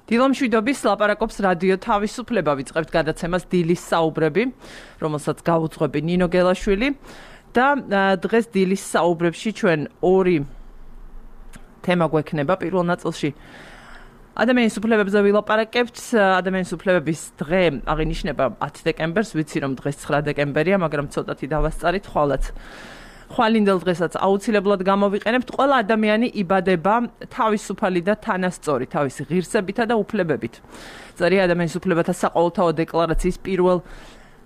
დილამშვიდობის ლაპარაკობს რადიო თავისუფლება ვიწყებთ გადაცემას დილის საუბრები, რომელსაც გაუძღვები ნინო გელაშვილი და დღეს დილის საუბრებში ჩვენ ორი თემა გვექნება. პირველ ნაწილში ადამიანის უფლებებზე ვილაპარაკებთ. ადამიანის უფლებების დღე აღინიშნება 10 დეკემბერს, ვიცი რომ დღეს 9 დეკემბერია, მაგრამ ცოტათი დავასწარით ხვალინდელ დღესაც აუცილებლად გამოვიყენებთ. ყველა ადამიანი იბადება თავისუფალი და თანასწორი თავისი ღირსებითა და უფლებებით. წერია ადამიანის უფლებათა საყოველთაო დეკლარაციის პირველ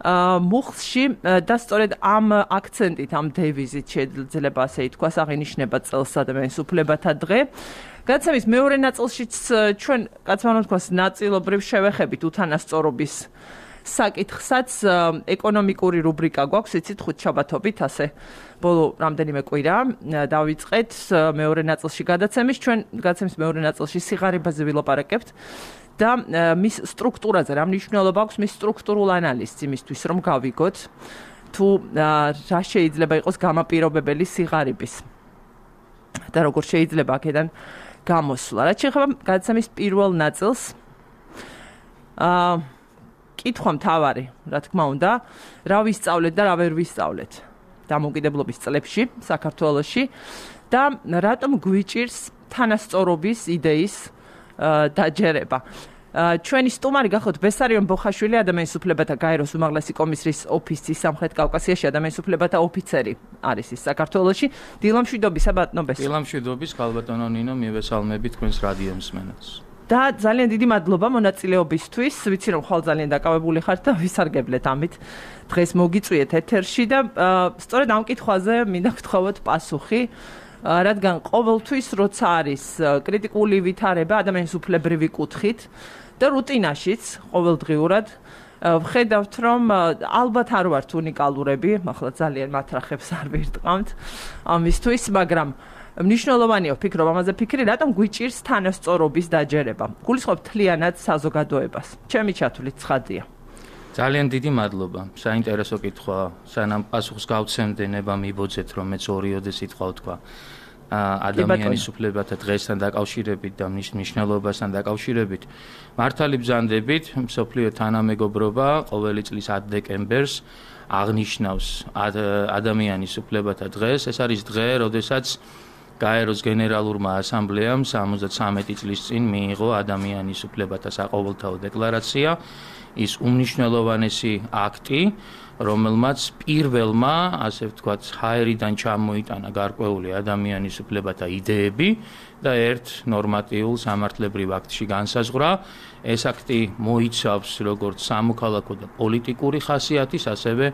მუხლში და სწორედ ამ აქცენტით, ამ დევიზით შეიძლება ასე ითქვას, აღინიშნება წელს ადამიანის უფლებათა დღე. გადაცემის მეორე ნაწილშიც ჩვენ კაც უნდა ვთქვას ნაწილობრივ შევეხებით უთანასწორობის საკითხსაც. ეკონომიკური რუბრიკა გვაქვს, იცით, ხუთშაბათობით, ასე ბოლო რამდენიმე კვირა დავიწყეთ მეორე ნაწილში გადაცემის. ჩვენ გადაცემის მეორე ნაწილში სიღარიბაზე ვილაპარაკებთ და მის სტრუქტურაზე, რა მნიშვნელობა აქვს მის სტრუქტურულ ანალიზს იმისთვის, რომ გავიგოთ თუ რა შეიძლება იყოს გამაპირობებელი სიღარიბის და როგორ შეიძლება აქედან გამოსვლა. რაც შეეხება გადაცემის პირველ ნაწილს, კითხვა მთავარი, რა თქმა უნდა, რა ვისწავლეთ და რა ვერ ვისწავლეთ დამოუკიდებლობის წლებში საქართველოში და რატომ გვიჭირს თანასწორობის იდეის დაჯერება. ჩვენი სტუმარი გახლავთ ბესარიონ ბოხაშვილი, ადამიანის უფლებათა გაეროს უმაღლესი კომისრის ოფისის სამხრეთ კავკასიაში ადამიანის უფლებათა ოფიცერი არის ის საქართველოში. დილამშვიდობისა ბატონო ბესო. დილამშვიდობის ქალბატონო ნინო, მივესალმები თქვენს რადიო მსმენელს. და ძალიან დიდი მადლობა მონაწილეობისთვის. ვიცი რომ ხვალ ძალიან დაკავებული ხართ და ვისარგებლეთ ამით. დღეს მოგიწვიეთ ეთერში და სწორედ ამ კითხვაზე მინდა გთხოვოთ პასუხი, რადგან ყოველთვის როცა არის კრიტიკული ვითარება ადამიანის უფლებრივი კუთხით და რუტინაშიც ყოველდღიურად ვხედავთ რომ ალბათ არ ვართ უნიკალურები, ახლა ძალიან მათრახებს არ ვირტყამთ ამისთვის, მაგრამ მნიშვნელოვანია ვფიქრობ ამაზე ფიქრი, რატომ გვიჭირს თანასწორობის დაჯერება. გულისხმობ მთლიანად საზოგადოებას. ჩემი ჩათვლით ცხადია. ძალიან დიდი მადლობა. საინტერესო კითხვა. სანამ პასუხს გავცემდე, ნება მიბოძეთ რომ მეც ორიოდე სიტყვა ვთქვა. ადამიანის უფლებათა დღესთან დაკავშირებით და მის მნიშვნელობასთან დაკავშირებით. მართალი ბრძანდებით, მსოფლიო თანამეგობრობა ყოველი წლის 10 დეკემბერს აღნიშნავს ადამიანის უფლებათა დღეს. ეს არის დღე, როდესაც გაეროს გენერალურმა ასამბლეამ 73 წლის წინ მიიღო ადამიანის უფლებათა საყოველთაო დეკლარაცია, ის უმნიშვნელოვანესი აქტი, რომელმაც პირველმა, ასე ვთქვათ, ჰაერიდან ჩამოიტანა გარკვეული ადამიანის უფლებათა იდეები და ერთ ნორმატიულ სამართლებრივ აქტში განსაზღვრა. ეს აქტი მოიცავს როგორც სამოქალაქო და პოლიტიკური ხასიათის, ასევე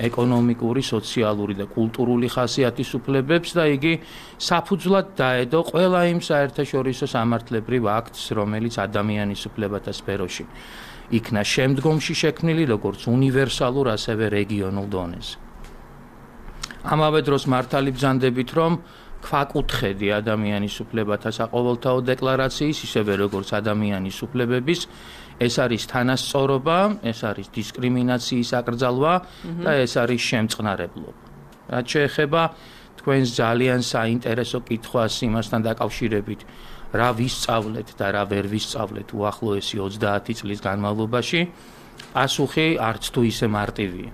ეკონომიკური, სოციალური და კულტურული ხასიათის უფლებებს და იგი საფუძვლად დაედო ყველა იმ საერთაშორისო სამართლებრივ აქტს, რომელიც ადამიანის უფლებათა სფეროში იქნა შემდგომში შექმნილი როგორც უნივერსალურ, ასევე რეგიონულ დონეზე. ამავე დროს მართალი ბრძანდებით, რომ ქვაკუთხედი ადამიანის უფლებათა საყოველთაო დეკლარაციის, ისევე როგორც ადამიანის უფლებების, ეს არის თანასწორობა, ეს არის დისკრიმინაციის აკრძალვა და ეს არის შემწყნარებლობა. რაც შეეხება თქვენს ძალიან საინტერესო კითხვას იმასთან დაკავშირებით, რა ვისწავლეთ და რა ვერ ვისწავლეთ უახლოესი 30 წლის განმავლობაში, პასუხი არც თუ ისე მარტივია.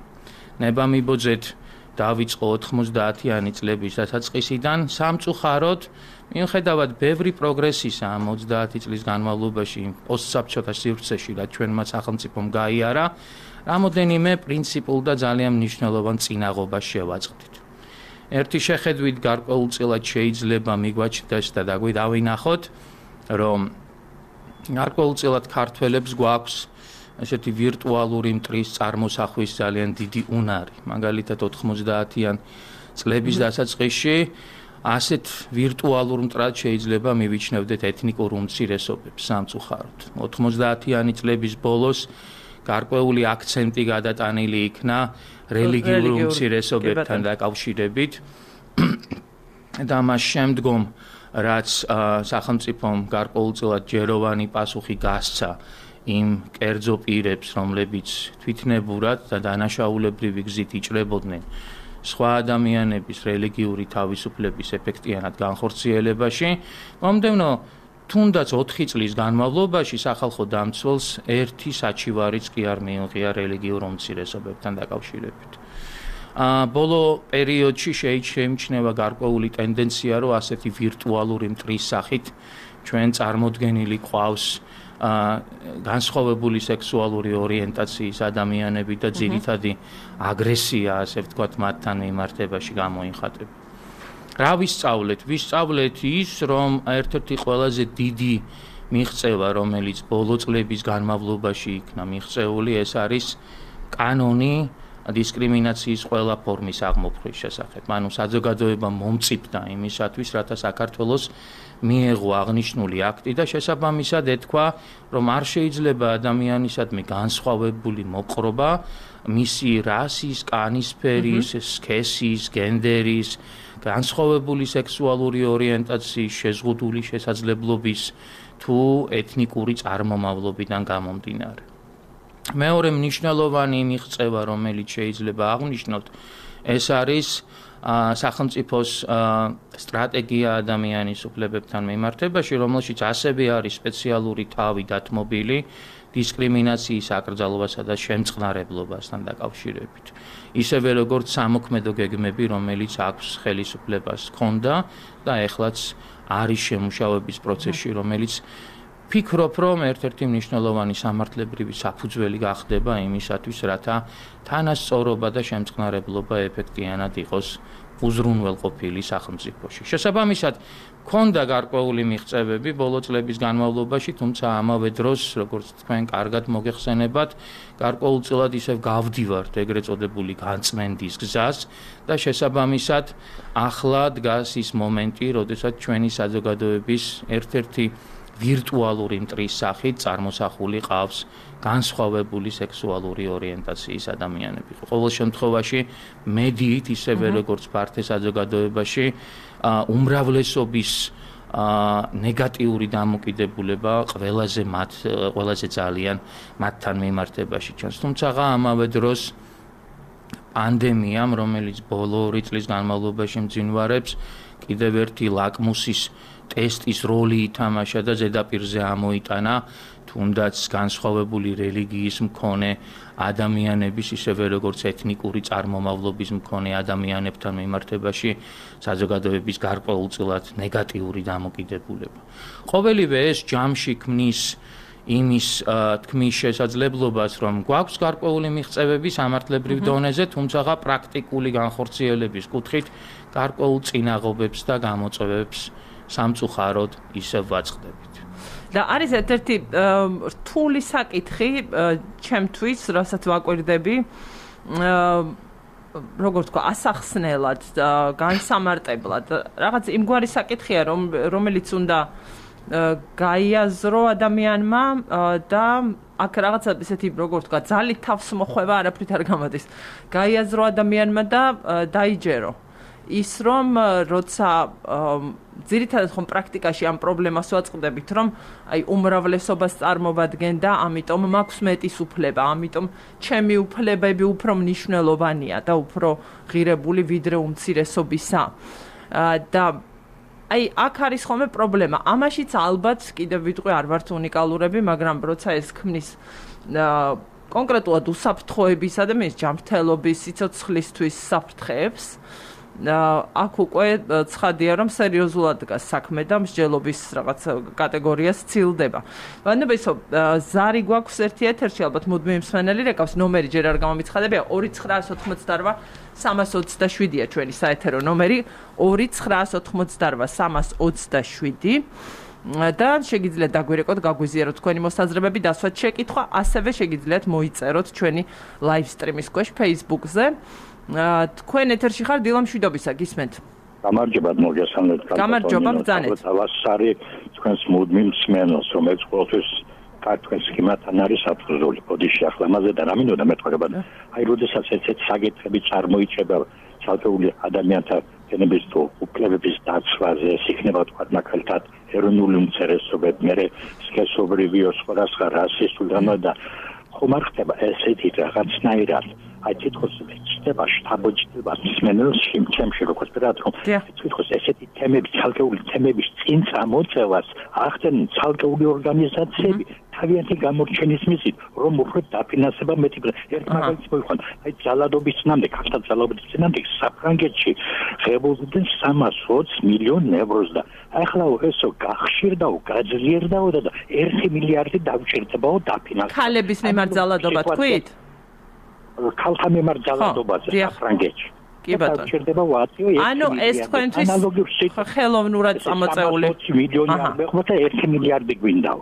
ნება მიბოძეთ დავიწყო 90-იანი წლების დასაწყისიდან, სამწუხაროდ, მიუხედავად ბევრი პროგრესისა ამ 30 წლის განმავლობაში პოსტსაბჭოთა სივრცეში, რაც ჩვენმა სახელმწიფომ გაიარა, რამოდენიმე პრინციპულ და ძალიან მნიშვნელოვან წინაღობას შევაწყდით. ერთი შეხედვით გარკვეულწილად შეიძლება მიგვაჩნდეს და დავინახოთ, რომ გარკვეულწილად ქართველებს გვაქვს ესეთი ვირტუალური მტრის წარმოსახვის ძალიან დიდი უნარი. მაგალითად 90-იან წლების დასაწყისში ასეთ ვირტუალურ მტრად შეიძლება მივიჩნევდეთ ეთნიკურ უმცირესობებს სამწუხაროდ. 90-იანი წლების ბოლოს გარკვეული აქცენტი გადატანილი იქნა რელიგიურ უმცირესობებთან დაკავშირებით და მას შემდგომ რაც სახელმწიფომ გარკვეულწილად ჯეროვანი პასუხი გასცა იმ კერძო პირებს, რომლებიც თვითნებურად და დანაშაულებრივი გზით იჭრებოდნენ სხვა ადამიანების რელიგიური თავისუფლების ეფექტიანად განხორციელებაში, მომდევნო თუნდაც 4 წლის განმავლობაში სახალხო დამცველს ერთი საჩივარიც კი არ მიიღია რელიგიურ უმცირესობებთან დაკავშირებით. ბოლო პერიოდში შეიმჩნევა გარკვეული ტენდენცია, რომ ასეთი ვირტუალური მტრის სახით ჩვენ წარმოდგენილი ყავს განსხვავებული სექსუალური ორიენტაციის ადამიანები და ძირითადი აგრესია, ასე ვთქვათ, მათთან მიმართებაში გამოიხატება. რა ვისწავლეთ? ვისწავლეთ ის, რომ ერთ-ერთი ყველაზე დიდი მიღწევა, რომელიც ბოლო წლების განმავლობაში იქნა მიღწეული, ეს არის კანონი დისკრიმინაციის ყველა ფორმის აღმოფხვის შესახებ. ანუ საზოგადოება მომწიფდა იმისათვის, რათა საქართველოს მიეღო აღნიშნული აქტი და შესაბამისად ეთქვა, რომ არ შეიძლება ადამიანისადმი განსხვავებული მოპყრობა მისი რასის, კანისფერის, სქესის, გენდერის, განსხვავებული სექსუალური ორიენტაციის, შეზღუდული შესაძლებლობის თუ ეთნიკური წარმომავლობიდან გამომდინარე. მეორე მნიშვნელოვანი მიღწევა, რომელიც შეიძლება აღვნიშნოთ, ეს არის სახელმწიფოს სტრატეგია ადამიანის უფლებებთან მიმართებაში, რომელშიც ასევე არის სპეციალური თავი დათმობილი დისკრიმინაციის აკრძალვასა და შემწყნარებლობასთან დაკავშირებით. ისევე როგორც სამოქმედო გეგმები, რომელიც აქვს ხელისუფლებას ჰქონდა და ეხლაც არის შემუშავების პროცესში, რომელიც ფიქრობ, რომ ერთ-ერთი მნიშვნელოვანი სამართლებრივი საფუძველი გახდება იმისათვის, რათა თანასწორობა და შემწყნარებლობა ეფექტიანად იყოს უზრუნველყოფილი სახელმწიფოში. შესაბამისად, ჰქონდა გარკვეული მიღწევები ბოლო წლების განმავლობაში, თუმცა ამავე დროს, როგორც თქვენ კარგად მოგეხსენებათ, გარკვეულწილად ისევ გავდივართ ეგრეთ წოდებული განწმენდის გზას და შესაბამისად, ახლა დგას ის მომენტი, როდესაც ჩვენი საზოგადოების ერთ-ერთი ვირტუალური მტრის სახით წარმოსახული ყავს განსხვავებული სექსუალური ორიენტაციის ადამიანები. ყოველ შემთხვევაში მედიით ისევე როგორც ფართე საზოგადოებაში უმრავლესობის ნეგატიური დამოკიდებულება ყველაზე ძალიან მათთან მიმართებაში ჩანს. თუმცა ამავე დროს პანდემიამ, რომელიც ბოლო 2 წლის განმავლობაში მძინვარებს, კიდევ ერთი ლაკმუსის ტესტის როლი ითამაშა და ზედაპირზე ამოიტანა თუნდაც განსხვავებული რელიგიის მქონე ადამიანების, ისევე როგორც ეთნიკური წარმომავლობის მქონე ადამიანებთან მიმართებაში საზოგადოების გარკვეულწილად ნეგატიური დამოკიდებულება. ყოველივე ეს ჯამში ქმნის იმის თქმის შესაძლებლობას, რომ გვაქვს გარკვეული მიღწევები სამართლებრივ დონეზე, თუმცა პრაქტიკული განხორციელების კუთხით გარკვეულ წინაღობებს და გამოწვევებს სამწუხაროდ ისევ ვაწყდებით. და არის ერთ-ერთი რთული საკითხი ჩემთვის, რასაც ვაკვირდები, როგორ თქვა, ასახსნელად, განსამარტებლად, რაღაც იმგვარი საკითხია, რომელიც უნდა გაიაზრო ადამიანმა და აქ რაღაცა ესეთი, როგორ თქვა, ძალით თავს მოხვევა არაფრით არ გამოდის. გაიაზრო ადამიანმა და დაიჯერო. ის რომ როცა ძირითადად ხომ პრაქტიკაში ამ პრობლემას ვაწყდებით, რომ აი უმრავლესობას წარმოვადგენ და ამიტომ მაქვს მეტის უფლება, ამიტომ ჩემი უფლებები უფრო მნიშვნელოვანია და უფრო ღირებული ვიდრე უმცირესობისა. და აი აქ არის ხოლმე პრობლემა. ამაშიც ალბათ კიდევ ვიტყვი არ ვართ უნიკალურები, მაგრამ როცა ეს ქმნის კონკრეტულად უსაფრთხოებისა და მის ჯანმრთელობის სიცოცხლისთვის საფრთხეებს, აქ უკვე ცხადია, რომ სერიოზულად დგას საქმე და მსჯელობის რაღაც კატეგორია სცილდება. ვანებისო, ზარი გვაქვს ერთი ეთერში, ალბათ მუდმივი მსმენელი რეკავს, ნომერი ჯერ არ გამომიცხადებია 2988 327-ია ჩვენი საეთერო ნომერი 2988 327 და შეგიძლიათ დაგვირეკოთ, გაგვიზიაროთ თქვენი მოსაზრებები, დასვათ შეკითხვა, ასევე შეგიძლიათ მოიწეროთ ჩვენი live stream-ის ქვეშ Facebook-ზე. თქვენ ეთერში ხარ დილა მშვიდობისა, გისმენთ? გამარჯობა, მოგესალმებით. გამარჯობა, ბრძანეთ. ავასარი თქვენს მუდმივ მსმენელს, რომელიც ყოველთვის თქვენს კიმათთან არის საფუძველი. ბოდიში ახლა მასე და რამინოდა მეტყობა. აი, როდესაც ესეთ საკითხები წარმოიჩება ცალკეული ადამიანთა ენების თუ უფლებების დაცვაზე, იქნება თქვა მაგალითად ეროვნული უმცირესობები, მე სქესობრივი, სხვადასხვა რასისტული და ხომ არ ხდება ესეთი რაღაცნაირად აი თითქოს ჩდება შტაბოჭდება მსმენელში ჩემში როგორც ვთქვათ რომ თითქოს ესეთი თემები ცალკეული თემების წინ წამოწევას ახდენენ ცალკეული ორგანიზაციები თავიანთი გამორჩენის მიზნით რომ უფრო დაფინანსება მეტი ერთ მაგალითს მოიხსნა აი ძალადობის წინამდე ქართულ ძალადობის წინამდე საფრანგეთში ღებულობდნენ 320 მილიონ ევროს და ახლა ესო გახშირდაო გაძლიერდაო და 1 მილიარდი დავჭირდებაო დაფინანსება ქალების მიმართ ძალადობა თქვით ქალთა მიმართ ძალადობაზე საფრანგეთში კი ბატონო ანუ ეს თქვენთვის ხელოვნურად წამოწეული მილიონი არ მეხმოთ 1 მილიარდი გვინდაო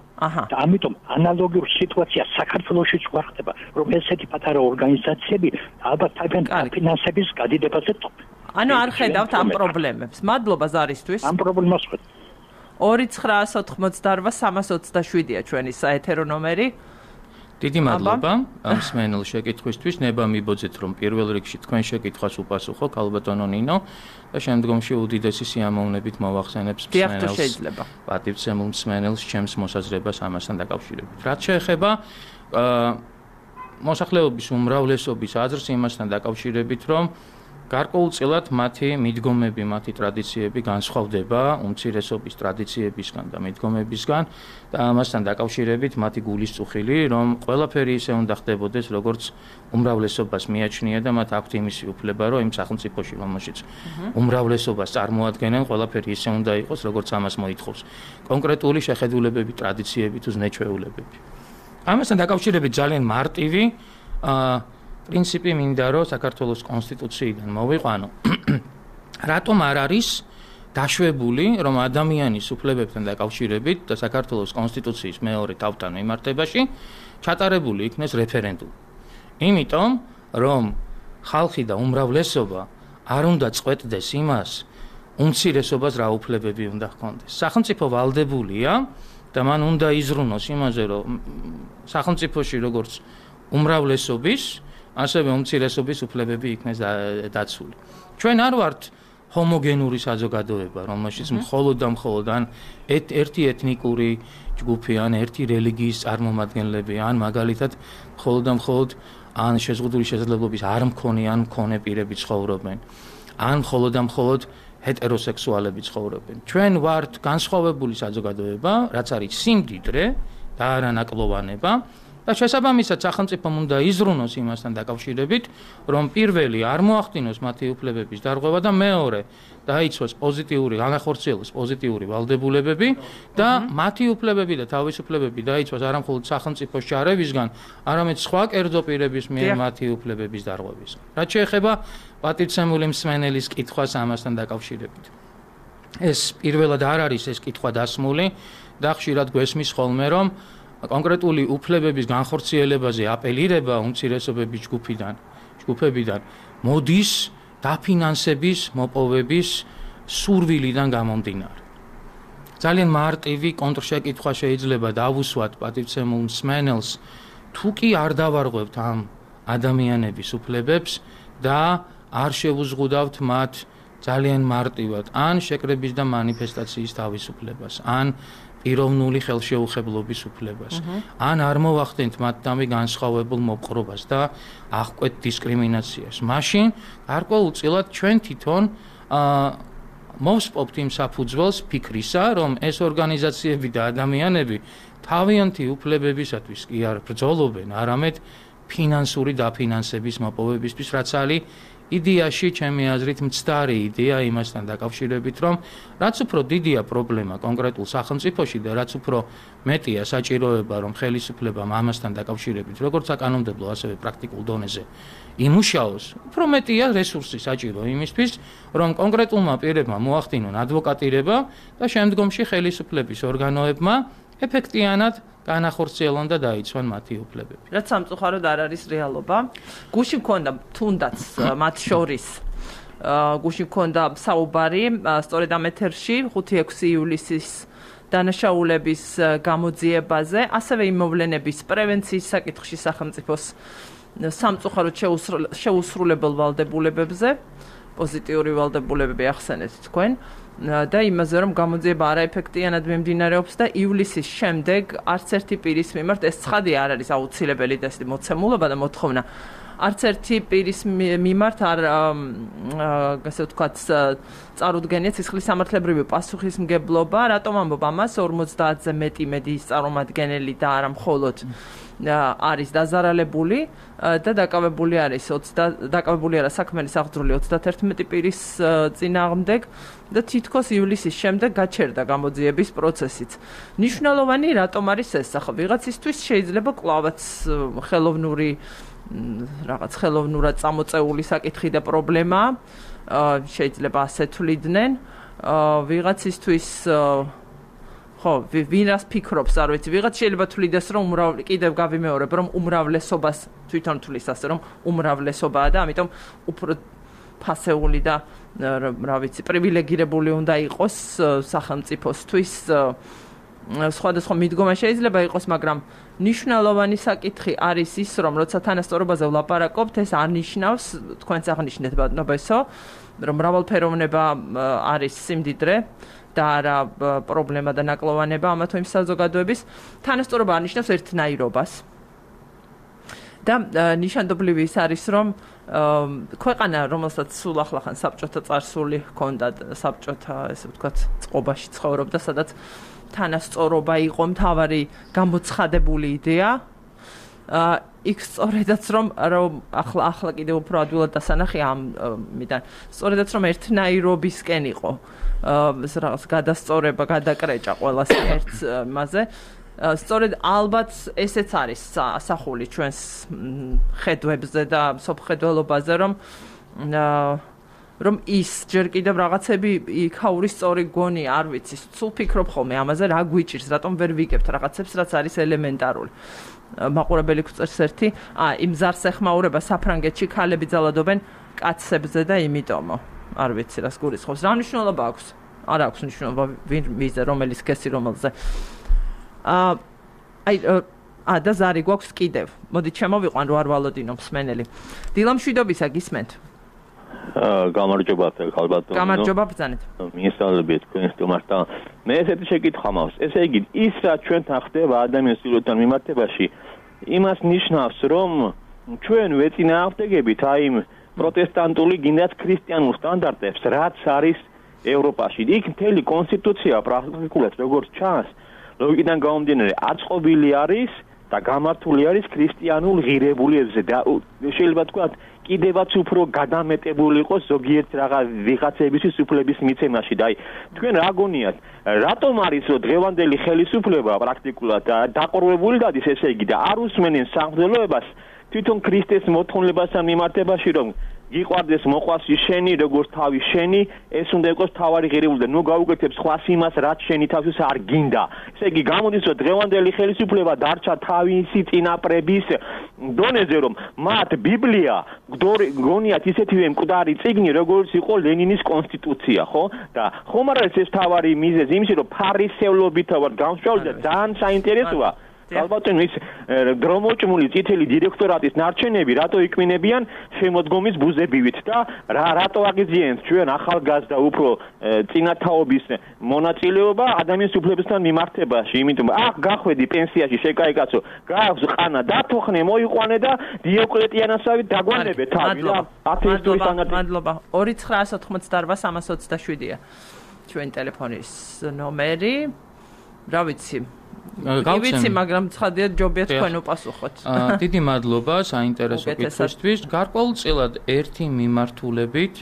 და ამიტომ ანალოგიურ სიტუაცია საქართველოშიც გვახდება რომ ესეთი პატარა ორგანიზაციები ალბათ თავიანთი ფინანსების გადიდებაზე ანუ არ ხედავთ ამ პრობლემებს მადლობა ზარისთვის ამ პრობლემას ხედავთ 2988-327-ია ჩვენი საეთერო ნომერი დიდი მადლობა ამ მსმენელ შეკითხვისთვის ნება მიბოძეთ რომ პირველ რიგში თქვენ შეკითხვას უპასუხო ქალბატონო ნინო და შემდგომში უდიდესი სიამოვნებით მოვახსენებს მსმენელს პატივცემულ მსმენელს ჩემს მოსაზრებას ამასთან დაკავშირებით რაც შეეხება მოსახლეობის უმრავლესობის აზრს იმასთან დაკავშირებით რომ გარკვეულწილად მათი მიდგომები, მათი ტრადიციები განსხვავდება უმცირესობის ტრადიციებისგან და მიდგომებისგან და ამასთან დაკავშირებით მათი გულისწუხილი, რომ ყველაფერი ისე უნდა ხდებოდეს, როგორც უმრავლესობას მიაჩნია და მათ აქვთ იმისი უფლება, რომ იმ სახელმწიფოში, რომელშიც უმრავლესობას წარმოადგენენ, ყველაფერი ისე უნდა იყოს, როგორც ამას მოითხოვს კონკრეტული შეხედულებები, ტრადიციები თუ ზნეჩვეულებები. ამასთან დაკავშირებით ძალიან მარტივი პრინციპი მინდა რომ საქართველოს კონსტიტუციიდან მოვიყვანო. რატომ არ არის დაშვებული რომ ადამიანის უფლებებთან დაკავშირებით და საქართველოს კონსტიტუციის მეორე თავთან მიმართებაში ჩატარებული იქნეს რეფერენდუმი. იმიტომ რომ ხალხი და უმრავლესობა არ უნდა წყვეტდეს იმას უმცირესობას რა უფლებები უნდა ჰქონდეს. სახელმწიფო ვალდებულია და მან უნდა იზრუნოს იმაზე რომ სახელმწიფოში როგორც უმრავლესობის ასევე უმცირესობის უფლებები იქნეს დაცული. ჩვენ არ ვართ ჰომოგენური საზოგადოება, რომელშიც მხოლოდ და მხოლოდ ან ერთი ეთნიკური ჯგუფი, ან ერთი რელიგიის წარმომადგენლები, ან მაგალითად მხოლოდ და მხოლოდ ან შეზღუდული შესაძლებლობის არ მქონე ან მქონე პირები ცხოვრობენ, ან მხოლოდ და მხოლოდ ჰეტეროსექსუალები ცხოვრობენ. ჩვენ ვართ განსხვავებული საზოგადოება, რაც არის სიმდიდრე და არანაკლოვანება. და შესაბამისად სახელმწიფომ უნდა იზრუნოს იმასთან დაკავშირებით, რომ პირველი არ მოახდინოს მათი უფლებების დარღვევა და მეორე დაიცვას პოზიტიური, განახორციელოს პოზიტიური ვალდებულებები და მათი უფლებები და თავისუფლებები დაიცვას არა მხოლოდ სახელმწიფოს ჩარევისგან, არამედ სხვა კერძო პირების მიერ მათი უფლებების დარღვევისგან. რაც შეეხება პატივცემული მსმენელის კითხვას ამასთან დაკავშირებით. ეს პირველად არ არის ეს კითხვა დასმული და ხშირად გვესმის ხოლმე რომ კონკრეტული უფლებების განხორციელებაზე აპელირება უმცირესობების ჯგუფებიდან მოდის დაფინანსების მოპოვების სურვილიდან გამომდინარე. ძალიან მარტივი კონტრშეკითხვა შეიძლება დავუსვათ პატივცემულ მსმენელს, თუ კი არ დავარღვევთ ამ ადამიანების უფლებებს და არ შევუზღუდავთ მათ ძალიან მარტივად ან შეკრების და მანიფესტაციის თავისუფლებას, ან პიროვნული ხელშეუხებლობის უფლებას. ან არ მოვახდენთ მათთამი განსხვავებულ მოპყრობას და აღკვეთ დისკრიმინაციას. მაშინ გარკვეულწილად ჩვენ თვითონ მოვსპობთ იმ საფუძველს ფიქრისა, რომ ეს ორგანიზაციები და ადამიანები თავიანთი უფლებებისათვის კი არ ბრძოლობენ, არამედ ფინანსური დაფინანსების მოპოვებისთვის, რაც არის იდეაში ჩემი აზრით მცდარი იდეა იმასთან დაკავშირებით, რომ რაც უფრო დიდია პრობლემა კონკრეტულ სახელმწიფოში და რაც უფრო მეტია საჭიროება, რომ ხელისუფლებამ ამასთან დაკავშირებით, როგორც საკანონმდებლო, ასევე პრაქტიკულ დონეზე იმუშაოს, უფრო მეტია რესურსი საჭირო იმისთვის, რომ კონკრეტულმა პირებმა მოახდინონ ადვოკატირება და შემდგომში ხელისუფლების ორგანოებმა ეფექტიანად განახორციელონ და დაიცვან მათი უფლებები. რაც სამწუხაროდ არ არის რეალობა. გუში მქონდა თუნდაც მათ შორის გუში მქონდა საუბარი სწორედ ამ ეთერში 5-6 ივლისის დანაშაულების გამოძიებაზე, ასევე იმოვლენების პრევენციის საკითხში სახელმწიფოს სამწუხაროდ შეუსრულებელ ვალდებულებებზე, პოზიტიური ვალდებულებები ახსენეთ თქვენ. და იმაზე რომ გამოძიება არაეფექტიანად მიმდინარეობს და ივლისის შემდეგ არც ერთი პირის მიმართ ეს ცხადი არ არის აუცილებელი და ეს მოცემულობა და მოთხოვნა არც ერთი პირის მიმართ არ ასე ვთქვათ წარუდგენია ცისხლის სამართლებრივი პასუხისმგებლობა, რატომ ამბობ ამას 50-ზე მეტი მედიის წარმომადგენელი და არა მხოლოდ არის დაზარალებული და დაკავებული არის დაკავებული არა საქმელი აღძრული 31 პირის წინააღმდეგ და თითქოს ივლისის შემდეგ გაჩერდა გამოძიების პროცესიც. ნიშნულოვანი რატომ არის ეს? ახლა ვიღაცისთვის შეიძლება კლავაც ხელოვნურად წამოწეული საკითხი და პრობლემა, შეიძლება ასე თვლიდნენ, ვიღაცისთვის ხო, ვინ რას ფიქრობს, არ ვიცი, ვიღაც შეიძლება თვლიდეს, რომ კიდევ გავიმეორებ, რომ უმრავლესობას თვითონ თვლის ასე, რომ უმრავლესობაა და ამიტომ უფრო ფასეული და რა ვიცი, პრივილეგირებული უნდა იყოს სახელმწიფოსთვის სხვადასხვა მიდგომა შეიძლება იყოს, მაგრამ ნიშნულოვანი საკითხი არის ის, რომ როცა თანასწორობაზე ვლაპარაკობთ, ეს არ ნიშნავს, თქვენც აღნიშნეთ ბატონებო, რომ მრავალფეროვნება არის სიმდიდრე და არა პრობლემა და ნაკლოვანება ამა თუ იმ საზოგადოების თანასწორობა არ ნიშნავს ერთნაირობას. და ნიშანდობლივი ის არის, რომ ქვეყანა, რომელსაც სულ ახლახან საბჭოთა წარსული ჰქონდა, საბჭოთა, ესე ვთქვათ, წყობაში ცხოვრობდა, სადაც თანასწორობა იყო მთავარი გამოცხადებული იდეა. იქ სწორედაც რომ ახლა კიდევ უფრო ადვილად დასანახი ამიდან, სწორედაც რომ ერთნაირობისკენ იყო რაღაც გადასწორება, გადაკრეჭა ყველას ერთ მასზე. სწორედ ალბათ ესეც არის ასახული ჩვენს ხედვებზე და სოფხედველობაზე, რომ ის ჯერ კიდევ რაღაცები იქაური სწორი გონი, არ ვიცი, სულ ფიქრობ ხოლმე ამაზე, რა გვიჭირს, რატომ ვერ ვიგებთ რაღაცებს, რაც არის ელემენტარული. მაყურებელი გვწერს ერთი, იმ ზარს ეხმაურება საფრანგეთში ქალები ძალადობენ კაცებზე და იმიტომო. არ ვიცი, რას გულისხმობს. რა მნიშვნელობა აქვს? არ აქვს მნიშვნელობა, ვინ მიზე, რომელი სქესი რომელზე. და ზარი გვაქვს კიდევ. მოდით შემოვიყვან რო არ ვალოდინო მსმენელი. დილამშვიდობისა გისმენთ. გამარჯობა ხალბატონო. გამარჯობა ბრძანეთ. მიესალმებით თქვენ სტუმართან. მე ესეთი შეკითხვა მაქვს. ესე იგი, ის რაც ჩვენთან ხდება ადამიანის სიკვდილთან მიმართებაში, იმას ნიშნავს, რომ ჩვენ ვეწინააღმდეგებით აი იმ პროტესტანტული გინდათ ქრისტიანულ სტანდარტებს, რაც არის ევროპაში. იქ მთელი კონსტიტუცია პრაქტიკულად როგორც ჩანს, ლოგიკიდან გამომდინარე, აწყობილი არის და გამართული არის ქრისტიანულ ღირებულებებზე და შეიძლება თქვა კიდევაც უფრო გადამეტებული იყოს ზოგიერთ ვიღაცებისთვის უფლების მიცემაში და აი თქვენ რა გონიათ რატომ არის რომ დღევანდელი ხელისუფლება პრაქტიკულად დაყრდნობით დადის ესე იგი და არ უსმენენ სამღვდელოებას თვითონ ქრისტეს მოთხოვნილებასთან მიმართებაში რომ გიყვარდეს მოყვასი შენი როგორც თავი შენი ეს უნდა იყოს თავარი ღირებული და ნუ გაუკეთებ სხვას იმას რაც შენი თავის არ გინდა ესე იგი გამოდის რომ დღევანდელი ხელისუფლება დარჩა თავისი წინაპრების დონეზე რომ მათ ბიბლია გონიათ ისეთივე მკვდარი წიგნი როგორც იყო ლენინის კონსტიტუცია ხო და ხომ არ არის ეს თავარი მიზეზი იმისი რომ ფარისევლობით ვარ გამსვლელი და ძალიან საინტერესოა ალბათენ ის დრომოჭმული წითელი დირექტორატის ნარჩენები რატო იკმინებიან შემოდგომის ბუზებივით და რატო აგიძიენთ ჩვენ ახალგაზრდა უფრო წინათაობის მონაწილეობა ადამიანის უფლებებთან მიმართებაში იმიტომ გახვედი პენსიაში შეკაიკაცო გააქვს ყანა დათოხნე მოიყვანე და დიოკლეტიანასავით დაგვანებე თავი და ათეისტური სანადირო მადლობა 2988-327-ია ჩვენ ტელეფონის ნომერი რა ვიცი გავიცი, მაგრამ ცხადია ჯობია თქვენ უპასუხოთ. დიდი მადლობა საინტერესო კითხვისთვის. გარკვეულწილად ერთი მიმართულებით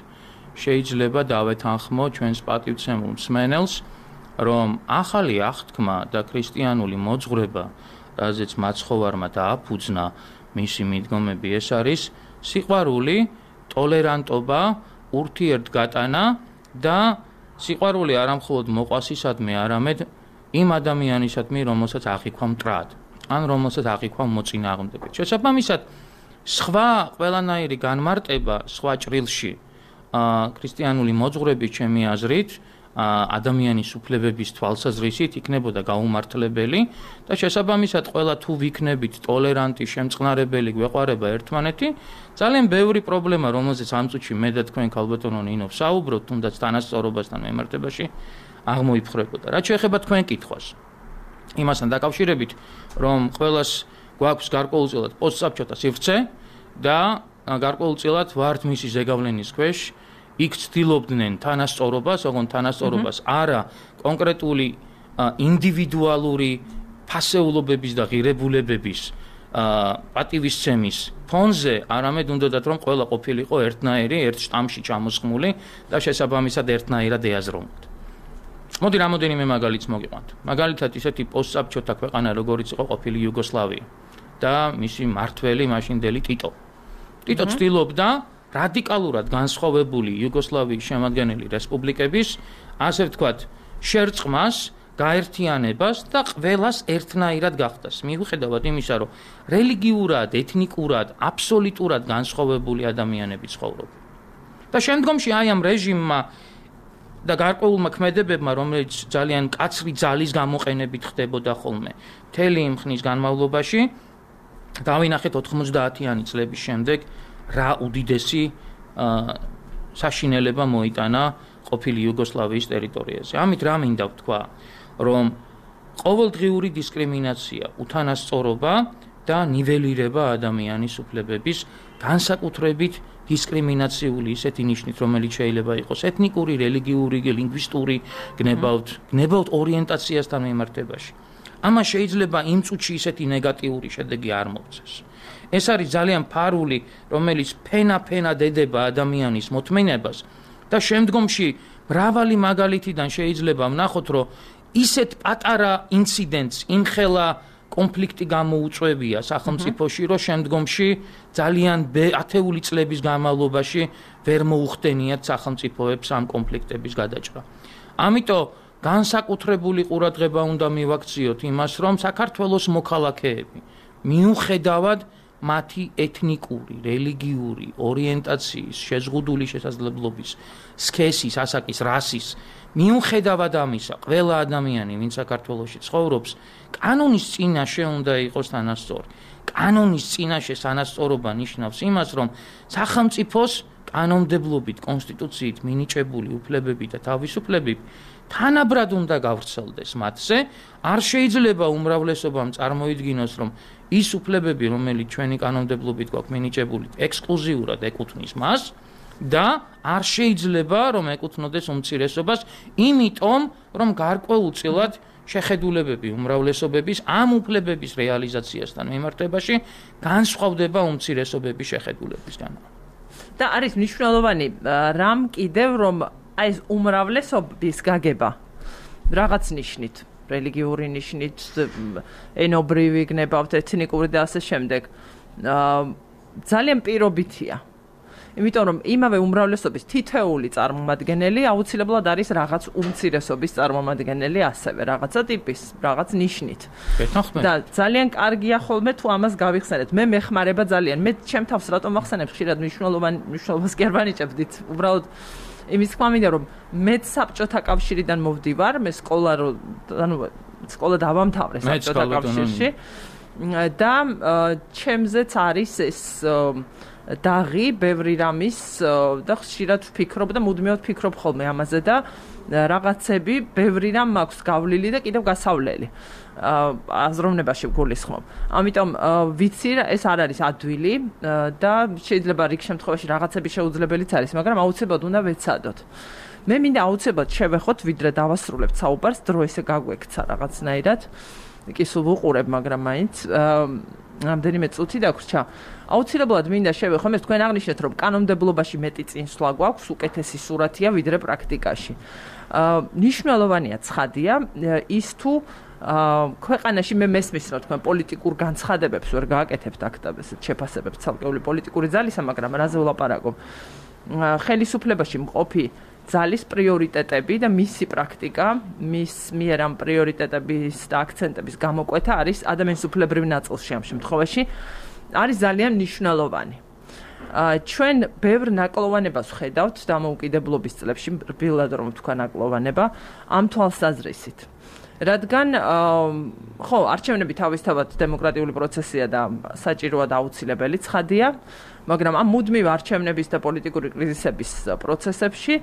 შეიძლება დავეთანხმო ჩვენს პატივცემულ მსმენელს, რომ ახალი აღთქმა და ქრისტიანული მოძღვრება, რაზეც მაცხოვარმა დააფუძნა მისი მიდგომები, ეს არის სიყვარული, ტოლერანტობა, ურთიერთგატანა და სიყვარული არა მხოლოდ მოყვასისადმი, არამედ იმ ადამიანისადმი, რომელსაც აღიქვამ მტრად, ან რომელსაც აღიქვამ მოწინააღმდეგე. შესაბამისად, სხვა ყველანაირი განმარტება სხვა ჭრილში, ქრისტიანული მოძღვრების ჩემი აზრით, ადამიანის უფლებების თვალსაზრისით იქნებოდა გაუმართლებელი და შესაბამისად, ყველა თუ ვიქნებით ტოლერანტი, შემწყნარებელი, გვეყვარება ერთმანეთი, ძალიან ბევრი პრობლემა, რომელზეც ამ წუთში მე და თქვენ ქალბატონო ნინო ვსაუბრობთ, თუნდაც თანასწორობასთან მიმართებაში აღმოიფხრებოდა. რაც შეეხება თქვენ კითხვას. იმასთან დაკავშირებით, რომ ყველას გვაქვს გარკვეულწილად პოსტსაბჭოთა სივრცე, და გარკვეულწილად ვართ მისი ზეგავლენის ქვეშ, იქ ცდილობდნენ თანასწორობას, ოღონდ თანასწორობას არა კონკრეტული ინდივიდუალური ფასეულობების და ღირებულებების პატივისცემის ფონზე, არამედ უნდათ რომ ყველა ყოფილიყო ერთნაირი, ერთ შტამში ჩამოსხმული და შესაბამისად ერთნაირად ეაზროვნოთ. მოდი რამოდენიმე მაგალითს მოგიყვანთ. მაგალითად ისეთი პოსტსაბჭოთა ქვეყანა, როგორიც იყო ყოფილი იუგოსლავია და მისი მმართველი მაშინდელი ტიტო. ტიტო ცდილობდა რადიკალურად განსხვავებული იუგოსლავიის შემადგენელი რესპუბლიკების, ასე ვთქვათ, შერწყმას, გაერთიანებას და ყველას ერთნაირად გახდას. მიუხედავად იმისა, რომ რელიგიურად, ეთნიკურად, აბსოლუტურად განსხვავებული ადამიანები ცხოვრობენ. და შემდგომში აი ამ რეჟიმმა და გარკვეულმა ქმედებებმა, რომელიც ძალიან კაცრი ძალის გამოყენებით ხდებოდა ხოლმე, მთელი იმ ხნის განმავლობაში, დავინახეთ 90-იანი წლების შემდეგ, რა უდიდესი საშინელება მოიტანა ყოფილი იუგოსლავიის ტერიტორიაზე. ამით რა მინდა ვთქვა, რომ ყოველდღიური დისკრიმინაცია, უთანასწორობა და ნიველირება ადამიანის უფლებების განსაკუთრებით დისკრიმინაციული ისეთი ნიშნით, რომელიც შეიძლება იყოს ეთნიკური, რელიგიური, ლინგვისტური, გნებავთ ორიენტაციასთან მიმართებაში. ამას შეიძლება იმ წუთში ისეთი ნეგატიური შედეგი არ მოგცეს. ეს არის ძალიან ფარული, რომელიც ფენა-ფენად ედება ადამიანის მოთმინებას და შემდგომში მრავალი მაგალითიდან შეიძლება ვნახოთ, რომ ისეთ პატარა ინციდენტს იმხელა კონფლიქტი გამოუწვევია სახელმწიფოში, რომ შემდგომში ძალიან ათეული წლების განმავლობაში ვერ მოუხდენიათ სახელმწიფოებს ამ კონფლიქტების გადაჭრა. ამიტომ განსაკუთრებული ყურადღება უნდა მივაქციოთ იმას, რომ საქართველოს მოქალაქეები მიუხედავად მათი ეთნიკური, რელიგიური, ორიენტაციის, შეზღუდული შესაძლებლობის, სქესის, ასაკის, რასის, მიუხედავად ამისა, ყველა ადამიანი, ვინც საქართველოში ცხოვრობს, კანონის წინაშე უნდა იყოს თანასწორი. კანონის წინაშე თანასწორობა ნიშნავს იმას, რომ სახელმწიფოს კანონმდებლობით, კონსტიტუციით მინიჭებული უფლებები და თავისუფლებები თანაბრად უნდა გავრცელდეს მათზე. არ შეიძლება უმრავლესობამ წარმოიდგინოს, რომ ის უფლებები, რომელიც ჩვენი კანონმდებლობით გვაქვს მინიჭებული, ექსკლუზიურად ეკუთვნის მას და არ შეიძლება რომ ეკუთვნოდეს უმცირესობას, იმიტომ რომ გარკვეულწილად შეხედულებები უმრავლესობების ამ უფლებების რეალიზაციასთან მიმართებაში განსხვავდება უმცირესობების შეხედულებისგან. და არის მნიშვნელოვანი რამ კიდევ რომ აი ეს უმრავლესობის გაგება რაღაც ნიშნით, რელიგიური ნიშნით, ენობრივი გნებავთ, ეთნიკური და ასე შემდეგ, ძალიან პირობითია. იმიტომ რომ იმავე უმრავლესობის თითეული წარმომადგენელი აუცილებლად არის რაღაც უმცირესობის წარმომადგენელი ასევე, რაღაცა ტიპის, რაღაც ნიშნით. და ძალიან კარგია ხოლმე თუ ამას გავიხსენეთ. მე მეხმარება ძალიან. მე ჩემ თავს რატომ ვახსენებ ხშირად მნიშვნელობას კი არ ვანიჭებდით. უბრალოდ იმის თქმა მინდა რომ მე საბჭოთა კავშირიდან მოვდივარ, მე სკოლა დავამთავრე საბჭოთა კავშირში და ჩემზეც არის ეს დაღი ბევრი რამის და ხშირად ვფიქრობ და მუდმივად ვფიქრობ ხოლმე ამაზე და რაღაცები ბევრი რამ მაქვს გავლილი და კიდევ გასავლელი აზროვნებაში ვგულისხმობ. ამიტომ ვიცი ეს არ არის ადვილი და შეიძლება რიგ შემთხვევაში რაღაცები შეუძლებელიც არის, მაგრამ აუცილებლად უნდა ვეცადოთ. მე მინდა აუცილებლად შევეხოთ, ვიდრე დავასრულებთ საუბარს, დრო ესე გაგვექცა რაღაცნაირად. კი სულ ვუყურებ, მაგრამ მაინც რამდენიმე წუთი დაგვრჩა. აუცილებლად მინდა შევეხო, მე თქვენ აღნიშნეთ, რომ კანონმდებლობაში მეტი წინსვლა გვაქვს, უკეთესი სურათია ვიდრე პრაქტიკაში. მნიშვნელოვანია ცხადია ის თუ ქვეყანაში მე მესმის რა თქვენ პოლიტიკურ განცხადებებს ვერ გააკეთებთ აქტებს შეფასებებს ცალკეული პოლიტიკური ძალისა, მაგრამ რაზე ვლაპარაკობ? ხელისუფლებაში მყოფი ძალის პრიორიტეტები და მისი პრაქტიკა, მის მიერ ამ პრიორიტეტების და აქცენტების გამოკვეთა არის ადამიანის უფლებრივ ნაწილში ამ შემთხვევაში არის ძალიან მნიშვნელოვანი. ჩვენ ბევრ ნაკლოვანებას ვხედავთ დამოუკიდებლობის წლებში, რბილად რომ ვთქვა ნაკლოვანება, ამ თვალსაზრისით. რადგან ხო, არჩევნები თავისთავად დემოკრატიული პროცესია და საჭიროა და აუცილებელი ცხადია, მაგრამ ამ მუდმივ არჩევნების და პოლიტიკური კრიზისების პროცესებში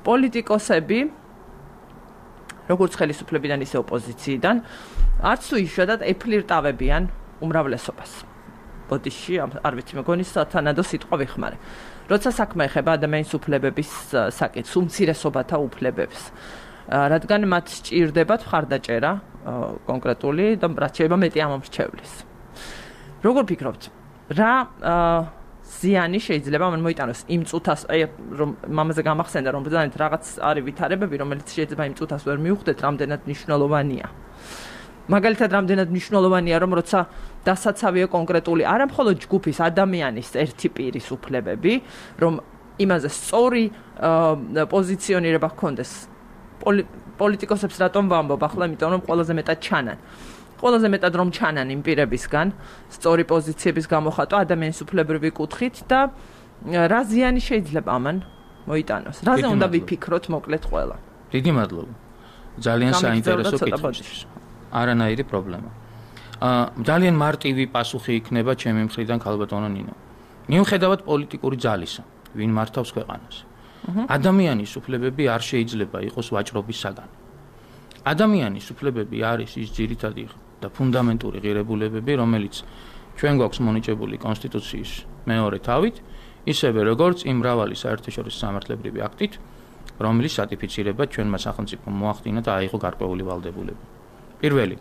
პოლიტიკოსები, როგორც ხელისუფლებიდან ისე ოპოზიციიდან, არც თუ იშვიათად ეფლირტავებიან უმრავლესობას. ბოდიში, არ ვიცი, მეგონი სათანადო სიტყვა ვიხმარე. როცა საქმე ეხება ადამიანის უფლებების საკითხს, უმცირესობათა უფლებებს, რადგან მათ სჭირდებათ მხარდაჭერა კონკრეტული და რაც შეიძლება მეტი ამომრჩევლის. როგორ ფიქრობთ, რა ზიანი შეიძლება მან მოიტანოს იმ წუთას, რომ მამაზე გამახსენდა, რომ ბრძანეთ რაღაც არის ვითარებები, რომელიც შეიძლება იმ წუთას ვერ მიუხვდეთ, რამდენად მნიშვნელოვანია. მაგალითად, რამდენად მნიშვნელოვანია, რომ როცა დასაცავია კონკრეტული არა მხოლოდ ჯგუფის ადამიანის ერთი პირის უფლებები, რომ იმაზე სწორი პოზიციონირება ჰქონდეს. პოლიტიკოსებს რატომ ვამბობ ახლა, იმიტომ რომ ყველაზე მეტად ჩანან. ყველაზე მეტად რომ ჩანან იმ პირებისგან, სწორი პოზიციების გამოხატვა ადამიანის უფლებრივი კუთხით და რა ზიანი შეიძლება ამან მოიტანოს. რაზე უნდა ვიფიქროთ მოკლედ ყველა. დიდი მადლობა. ძალიან საინტერესო კითხვისთვის. არანაირი პრობლემა. ძალიან მარტივი პასუხი იქნება ჩემი მხრიდან ქალბატონო ნინო. მიუხედავად პოლიტიკური ძალისა, ვინ მართავს ქვეყანას. ადამიანის უფლებები არ შეიძლება იყოს ვაჭრობის საგანი. ადამიანის უფლებები არის ის ძირითადი და ფუნდამენტური ღირებულებები, რომელიც ჩვენ გვაქვს მონიჭებული კონსტიტუციის მეორე თავით, ისევე როგორც იმ მრავალი საერთაშორისო სამართლებრივი აქტით, რომლის რატიფიცირება ჩვენმა სახელმწიფომ მოახდინა და აიღო გარკვეული ვალდებულება. პირველი,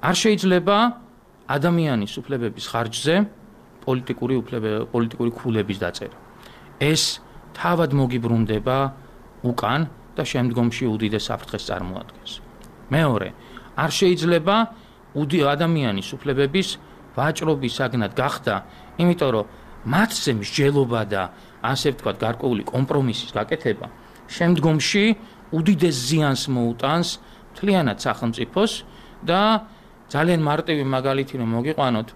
არ შეიძლება ადამიანის უფლებების ხარჯზე პოლიტიკური ქულების დაწერა. ეს თავად მოგიბრუნდება უკან და შემდგომში უდიდეს საფრთხეს წარმოადგენს. მეორე, არ შეიძლება ადამიანის უფლებების ვაჭრობის საგნად გახდა, იმიტომ რომ მათზე მსჯელობა და ასე ვთქვათ, გარკვეული კომპრომისის გაკეთება შემდგომში უდიდეს ზიანს მოუტანს მთლიანად სახელმწიფოს და ძალიან მარტივი მაგალითი რომ მოგიყვანოთ,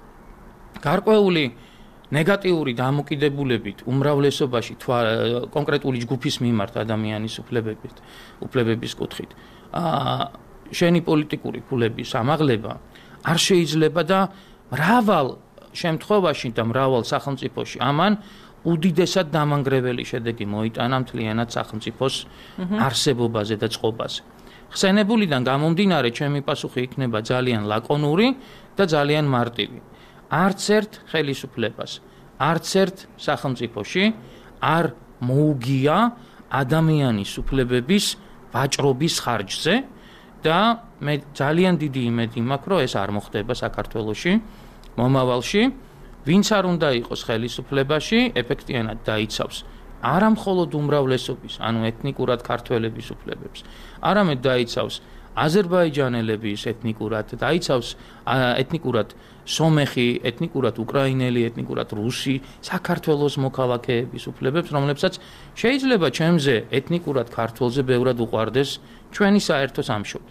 გარკვეული ნეგატიური დამოკიდებულებით უმრავლესობაში კონკრეტული ჯგუფის მიმართ ადამიანის უფლებების კუთხით შენი პოლიტიკური ქულების ამაღლება არ შეიძლება და მრავალ შემთხვევაში და მრავალ სახელმწიფოში ამან უდიდესად დამანგრეველი შედეგი მოიტანა მთლიანად სახელმწიფოს არსებობაზე და წყობაზე. ხსენებულიდან გამომდინარე ჩემი პასუხი იქნება ძალიან ლაკონური და ძალიან მარტივი. არც ერთ ხელისუფლებას, არც ერთ სახელმწიფოში არ მოუგია ადამიანის უფლებების ვაჭრობის ხარჯზე და მე ძალიან დიდი იმედი მაქვს, რომ ეს არ მოხდება საქართველოში მომავალში. ვინც არ უნდა იყოს ხელისუფლებაში, ეფექტიანად დაიცავს არა მხოლოდ უმრავლესობის, ანუ ეთნიკურად ქართველების უფლებებს, არამედ დაიცავს აზერბაიჯანელების ეთნიკურად, დაიცავს ეთნიკურად სომეხი, ეთნიკურად უკრაინელი, ეთნიკურად რუსი, საქართველოს მოქალაქეების უფლებებს, რომლებსაც შეიძლება ჩემზე ეთნიკურად ქართველზე ბევრად უყვარდეს ჩვენი საერთო სამშობლო.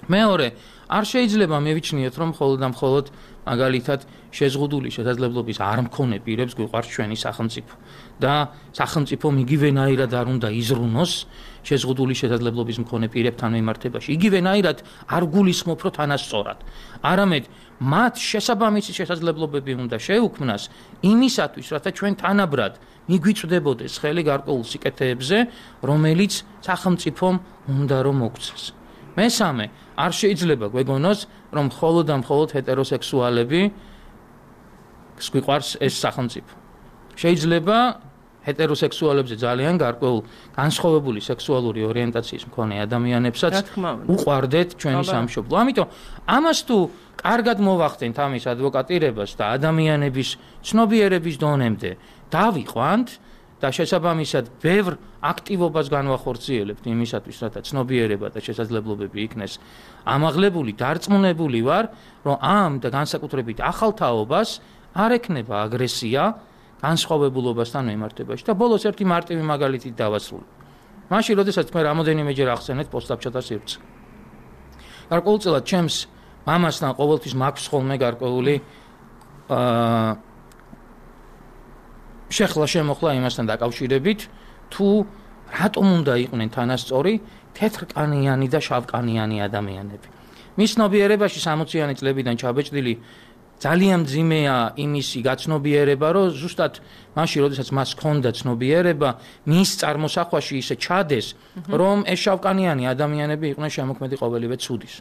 მეორე, არ შეიძლება მევიჩნიოთ, რომ მხოლოდ და მხოლოდ მაგალითად შეზღუდული შესაძლებლობის არ მქონე პირებს გვიყვარს ჩვენი სახელმწიფო და სახელმწიფო იგივენაირად არ უნდა იზრუნოს შეზღუდული შესაძლებლობის მქონე პირებთან მიმართებაში. იგივენაირად არ გულისხმობ, რომ თანასწორად. არამედ მათ შესაბამისი შესაძლებლობები უნდა შეუქმნას იმისათვის, რათა ჩვენ თანაბრად მიგვიწვდებოდეს ხელი გარკვეულ სიკეთეებზე, რომელიც სახელმწიფომ უნდა რომ მოგცეს. მესამე, არ შეიძლება გვეგონოს, რომ მხოლოდ და მხოლოდ ჰეტეროსექსუალები გვიყვარს ეს სახელმწიფო. შეიძლება ჰეტეროსექსუალებზე ძალიან გარკვეულ განსხვავებული სექსუალური ორიენტაციის მქონე ადამიანებსაც უყვარდეთ ჩვენი სამშობლო. ამიტომ ამას თუ კარგად მოვახდენთ ამის ადვოკატირებას და ადამიანების ცნობიერების დონემდე დავიყვანთ და შესაბამისად ბევრ აქტივობას განვახორციელებთ იმისათვის, რათა ცნობიერება და შესაძლებლობები იქნეს ამაღლებული, დარწმუნებული ვარ, რომ ამ და განსაკუთრებით ახალ თაობას არ ექნება აგრესია განსხვავებულობასთან მიმართებაში და ბოლოს ერთი მარტივი მაგალითით დავასრულებ. მაშინ, როდესაც მე რამოდენიმეჯერ ახსენეთ პოსტაბჭოთა სივრცე. გარკვეულწილად ჩემს მამასთან ყოველთვის მაქვს ხოლმე გარკვეული შეხლა შემოხლა იმასთან დაკავშირებით, თუ რატომ უნდა იყვნენ თანასწორი თეთრკანიანი და შავკანიანი ადამიანები. მის ცნობიერებაში 60-იანი წლებიდან ჩაბეჭდილი ძალიან მძიმეა იმისი გაცნობიერება, რომ ზუსტად მაშინ, როდესაც მას ჰქონდა ცნობიერება, მის წარმოსახვაში ისე ჩადეს, რომ ეს შავკანიანი ადამიანები იყვნენ შემოქმედი ყოველივე ცუდის.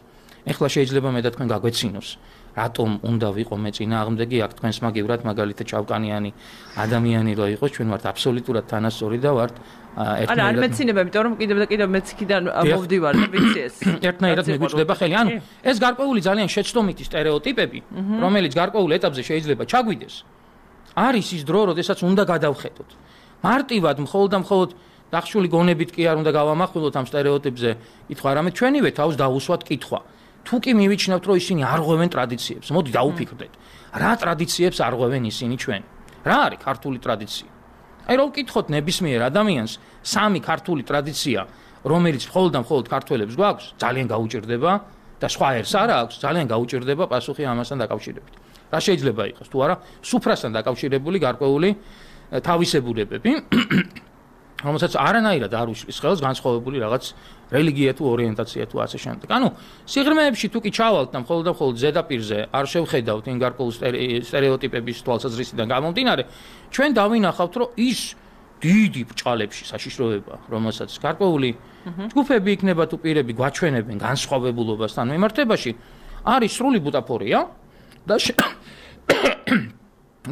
ეხლა შეიძლება მე და თქვენ გაგვეცინოს, რატომ უნდა ვიყო მე წინააღმდეგი აქ თქვენს მაგივრად მაგალითად ჩავკანიანი ადამიანი რო იყოს ჩვენ ვართ აბსოლუტურად თანასწორი და ვართ ერთნაირად არ მეცინება იმიტომ რომ კიდევ და კიდევ მეციქიდან მოვდივარ და ვიცი ეს ერთნაირად მიგვიჭდება ხელი ანუ ეს გარკვეული ძალიან შეცდომითი სტერეოტიპები რომელიც გარკვეულ ეტაპზე შეიძლება ჩაგვიდეს არის ის დრო როდესაც უნდა გადავხედოთ მარტივად მხოლოდ დახშული გონებით კი არ უნდა გავამახვილოთ ამ სტერეოტიპებზე კითხვა არამედ ჩვენივე თავს დავუსვათ კითხვა თუ კი მივიჩნევთ რომ ისინი არ ღვევენ ტრადიციებს მოდი დავუფიქრდეთ რა ტრადიციებს არ ღვევენ ისინი ჩვენ რა არის ქართული ტრადიცია აი რომ ვკითხოთ ნებისმიერ ადამიანს სამი ქართული ტრადიცია რომელიც მხოლოდ ქართველებს გვაქვს ძალიან გაუჭირდება და სხვა ერს არ აქვს ძალიან გაუჭირდება პასუხი ამასთან დაკავშირებით რა შეიძლება იყოს თუ არა სუფრასთან დაკავშირებული გარკვეული თავისებურებები რომელსაც არანაირად არ უშლის ხელს განსხვავებული რაღაც რელიგია თუ ორიენტაცია თუ ასე შემდეგ. ანუ სიღრმეებში თუ კი ჩავალთ და მხოლოდ ზედაპირზე არ შევხედავთ იმ გარკვეულ სტერეოტიპების თვალსაზრისიდან გამომდინარე, ჩვენ დავინახავთ, რომ ის დიდი ბრჭყალებში საშიშროება, რომელსაც გარკვეული ჯგუფები იქნება თუ პირები გვაჩვენებენ განსხვავებულობასთან მიმართებაში, არის სრული ბუტაფორია და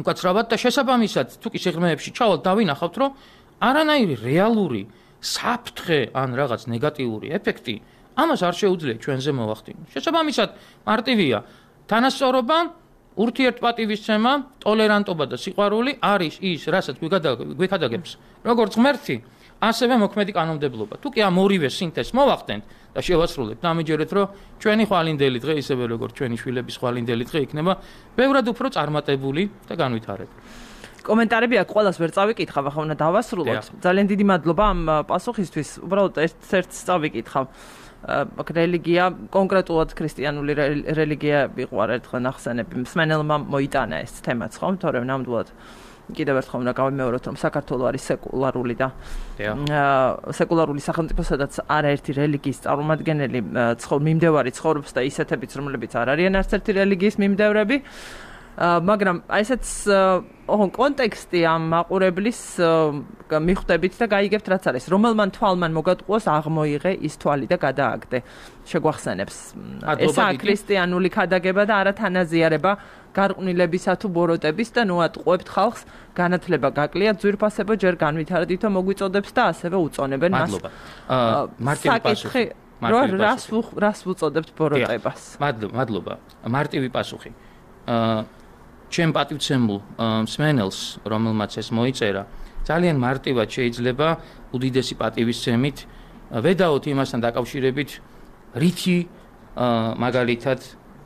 უკაცრავად და შესაბამისად თუ კი სიღრმეებში ჩავალთ დავინახავთ, რომ არანაირი რეალური საფრთხე ან რაღაც ნეგატიური ეფექტი ამას არ შეუძლია ჩვენზე მოვახდინოთ. შესაბამისად, მარტივია თანასწორობა, ურთიერთპატივისცემა, ტოლერანტობა და სიყვარული არის ის, რასაც გვიქადაგებს როგორც ღმერთი, ასევე მოქმედი კანონმდებლობა. თუ კი ამ ორივე სინთეზს მოვახდენთ და შევასრულებთ, დამიჯერეთ, რომ ჩვენი ხვალინდელი დღე, ისევე როგორც ჩვენი შვილების ხვალინდელი დღე იქნება ბევრად უფრო წარმატებული და განვითარებული. კომენტარები აქ ყველას ვერ წავიკითხავ, ახლა უნდა დავასრულოთ. ძალიან დიდი მადლობა ამ პასუხისთვის. უბრალოდ ერთ-ერთს წავიკითხავ. აქ რელიგია, კონკრეტულად ქრისტიანული რელიგია იყო ერთხელ ნახსენები. მსმენელმა მოიტანა ეს თემაც, ხო? თორემ ნამდვილად კიდევ ერთხელ უნდა გავიმეოროთ, რომ საქართველო არის სეკულარული და სეკულარული სახელმწიფო, სადაც არაერთი რელიგიის წარმომადგენელი მიმდევარი ცხოვრობს და ისეთებიც, რომლებიც არ არიან არც ერთი რელიგიის მიმდევრები. მაგრამ ესეც კონტექსტი ამ მაყურებლის მიხვდებით და გაიგებთ რაც არის რომელმან თვალმან მოგატყუოს აღმოიღე ის თვალი და გადააგდე შეგვახსენებს ესაა ქრისტიანული ქადაგება და არა თანაზიარება გარყვნილებისა თუ ბოროტების და ნუ ატყუებთ ხალხს განათლება გაკლიათ ძვირფასებო ჯერ განვითარდითო მოგვიწოდებს და ასევე უწონებენ მას მარტივი პასუხი რას ვუწოდებთ ბოროტებას მადლობა მარტივი პასუხი ჩემ პატივცემულ მსმენელს, რომელმაც ეს მოიწერა, ძალიან მარტივად შეიძლება უდიდესი პატივისცემით ვედაოთ იმასთან დაკავშირებით, რითი მაგალითად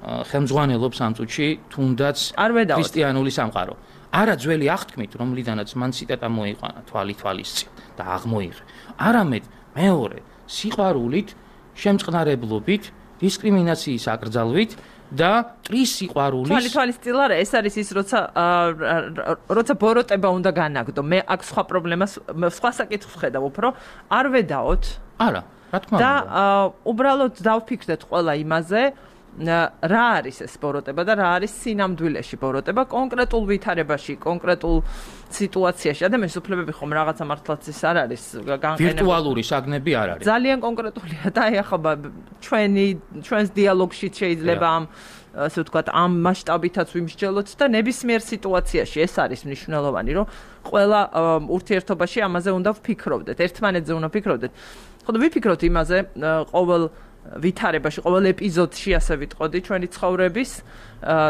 ხელმძღვანელობს ამ წუთში თუნდაც ქრისტიანული სამყარო. არა ძველი აღთქმით, რომლიდანაც მან ციტატა მოიყვანა თვალისწინ და აღმოიღე. არამედ მეორე სიყვარულით, შემწყნარებლობით, დისკრიმინაციის აკრძალვით და ტრის სიყვარულის თვალისწინ არა ეს არის ის როცა ბოროტება უნდა განაგდო მე აქ სხვა პრობლემას სხვა საკითხს ვხედავ უფრო არ ვედაოთ არა რა თქმა უნდა და უბრალოდ დავფიქრდეთ ყველა იმაზე რა არის ეს ბოროტება და რა არის სინამდვილეში ბოროტება კონკრეტულ ვითარებაში კონკრეტულ სიტუაციაში ადამიანის უფლებები ხომ რაღაცა მართლაც ის არ არის ვირტუალური საგნები არ არის ძალიან კონკრეტულია და აი ახლა ჩვენს დიალოგში შეიძლება ამ ასე ვთქვათ ამ მასშტაბითაც ვიმსჯელოთ და ნებისმიერ სიტუაციაში ეს არის მნიშვნელოვანი რომ ყველა ურთიერთობაში ამაზე უნდა ვფიქრობდეთ ერთმანეთზე უნდა ვფიქრობდეთ ხოდა ვიფიქროთ იმაზე ყოველ ვითარებაში ყოველ ეპიზოდში ასე ვიტყოდი ჩვენი ცხოვრების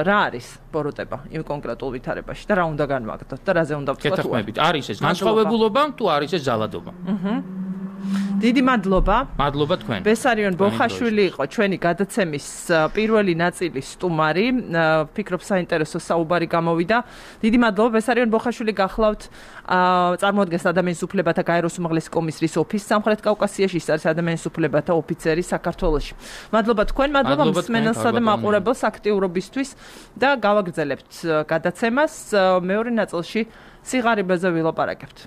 რა არის ბოროტება იმ კონკრეტულ ვითარებაში და რა უნდა განვაგდოთ და რაზე უნდა ვთქვათ გეთახმებით არის ეს განსხვავებულობა თუ არის ეს ზალადობა დიდი მადლობა მადლობა თქვენ ბესარიონ ბოხაშვილი იყო ჩვენი გადაცემის პირველი ნაწილის სტუმარი ვფიქრობ საინტერესო საუბარი გამოვიდა დიდი მადლობა ბესარიონ ბოხაშვილი გახლავთ წარმოადგენს ადამიანის უფლებათა გაეროს უმაღლესი კომისრის ოფისს სამხრეთ კავკასიაში ის არის ადამიანის უფლებათა ოფიცერი საქართველოში მადლობა თქვენ მადლობა მსმენელსა და მაყურებელს აქტიურობისთვის და გავაგრძელებთ გადაცემას მეორე ნაწილში სიღარიბეზე ვილაპარაკებთ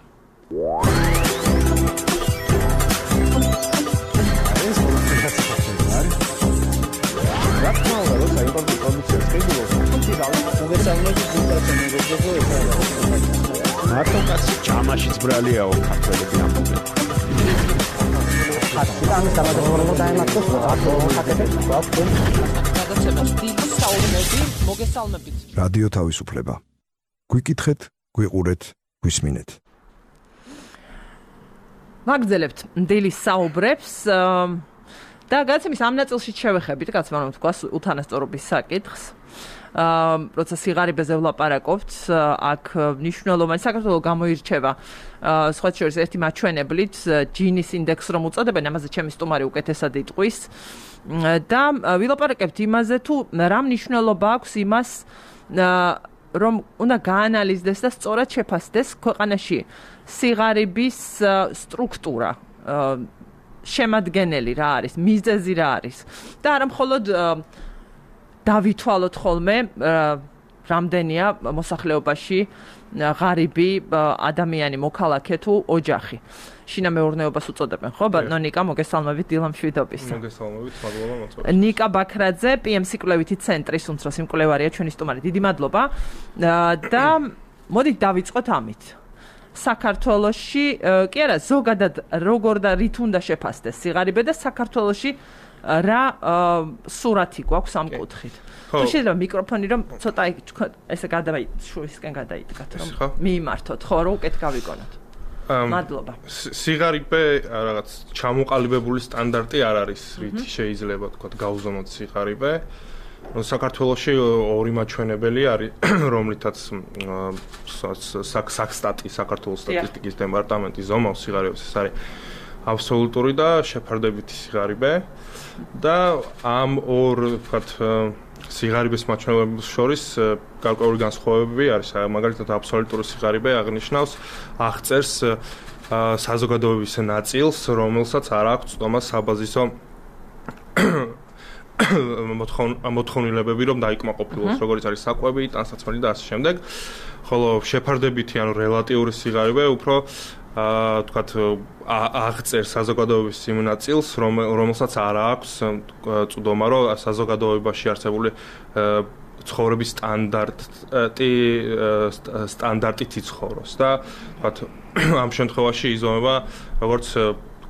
მარტო კაცი ჯამაშიც ბრალიაო ქართველები ამბობენ. ხატი ამის დამატებულად დაემართოს, რა თქმა უნდა, ხატები. საუბრები, მოგესალმებით. რადიო თავისუფლება. გვიკითხეთ, გვიყურეთ, გვისმინეთ. მაგძელებთ დილის საუბრებს და გადაცემის ამ ნაწილში შევეხებით, კაცმა რომ თქვა უთანასწორობის საკითხს. როცა სიღარიბეზე ვლაპარაკობთ, აქ მნიშვნელოვანი საქართველოს გამოირჩევა სხვა შორის ერთი მაჩვენებლით ჯინის ინდექსს რომ უწოდებენ, ამაზე ჩემი სტუმარი უკეთესად იტყვის და ვილაპარაკებთ იმაზე თუ რა მნიშვნელობა აქვს იმას რომ უნდა გაანალიზდეს და სწორად შეფასდეს ქვეყანაში სიღარიბის სტრუქტურა, შემადგენელი რა არის, მიზეზი რა არის და არა მხოლოდ დავითვალოთ ხოლმე რამდენია მოსახლეობაში ღარიბი ადამიანი, მოქალაქე თუ ოჯახი. შინამეურნეობას უწოდებენ, ხო? ბატონო ნიკა, მოგესალმებით დილამშვიდობისა. მოგესალმებით, მადლობა მოწვევით. ნიკა ბაქრაძე, PM-ს კვლევითი ცენტრის უმცროსი მკვლევარია, ჩვენი სტუმარი. დიდი მადლობა. და მოდით დავიწყოთ ამით. საქართველოში, კი არა, ზოგადად როგორ და რით უნდა შეფასდეს სიღარიბე და საქართველოში რა სურათი გვაქვს ამ კუთხით. თუ შეიძლება მიკროფონი რომ ცოტა ესე შუისკენ გადაიდგათ რომ მიიმართოთ, ხო, რომ უკეთ გავიგონოთ. მადლობა. სიღარიბე რაღაც ჩამოყალიბებული სტანდარტი არ არის, რითი შეიძლება თქვა გავუზომოთ სიღარიბე. საქართველოში ორი მაჩვენებელი არის, რომლითაც საქსტატი, საქართველოს სტატისტიკის დეპარტამენტი ზომავს სიღარიბეს, ეს არის აბსოლუტური და შეფარდებითი სიღარიბე და ამ ორ ვთქვათ სიღარიბეს მაჩვენებლებს შორის გარკვეული განსხვავებები არის. მაგალითად აბსოლუტური სიღარიბე აღნიშნავს აღწერს საზოგადოების ნაწილს, რომელსაც არ აქვს ცდომა საბაზისო მოთხოვნილებები, რომ დაიკმაყოფილოს, როგორც არის საკვები, ტანსაცმელი და ასე შემდეგ. ხოლო შეფარდებითი, ანუ რელატიური სიღარიბე უფრო თქვათ აღწერს საზოგადოების იმ ნაწილს, რომელსაც არ აქვს წვდომა, რომ საზოგადოებაში არსებული ცხოვრების სტანდარტით იცხოვროს და თქვათ ამ შემთხვევაში იზომება როგორც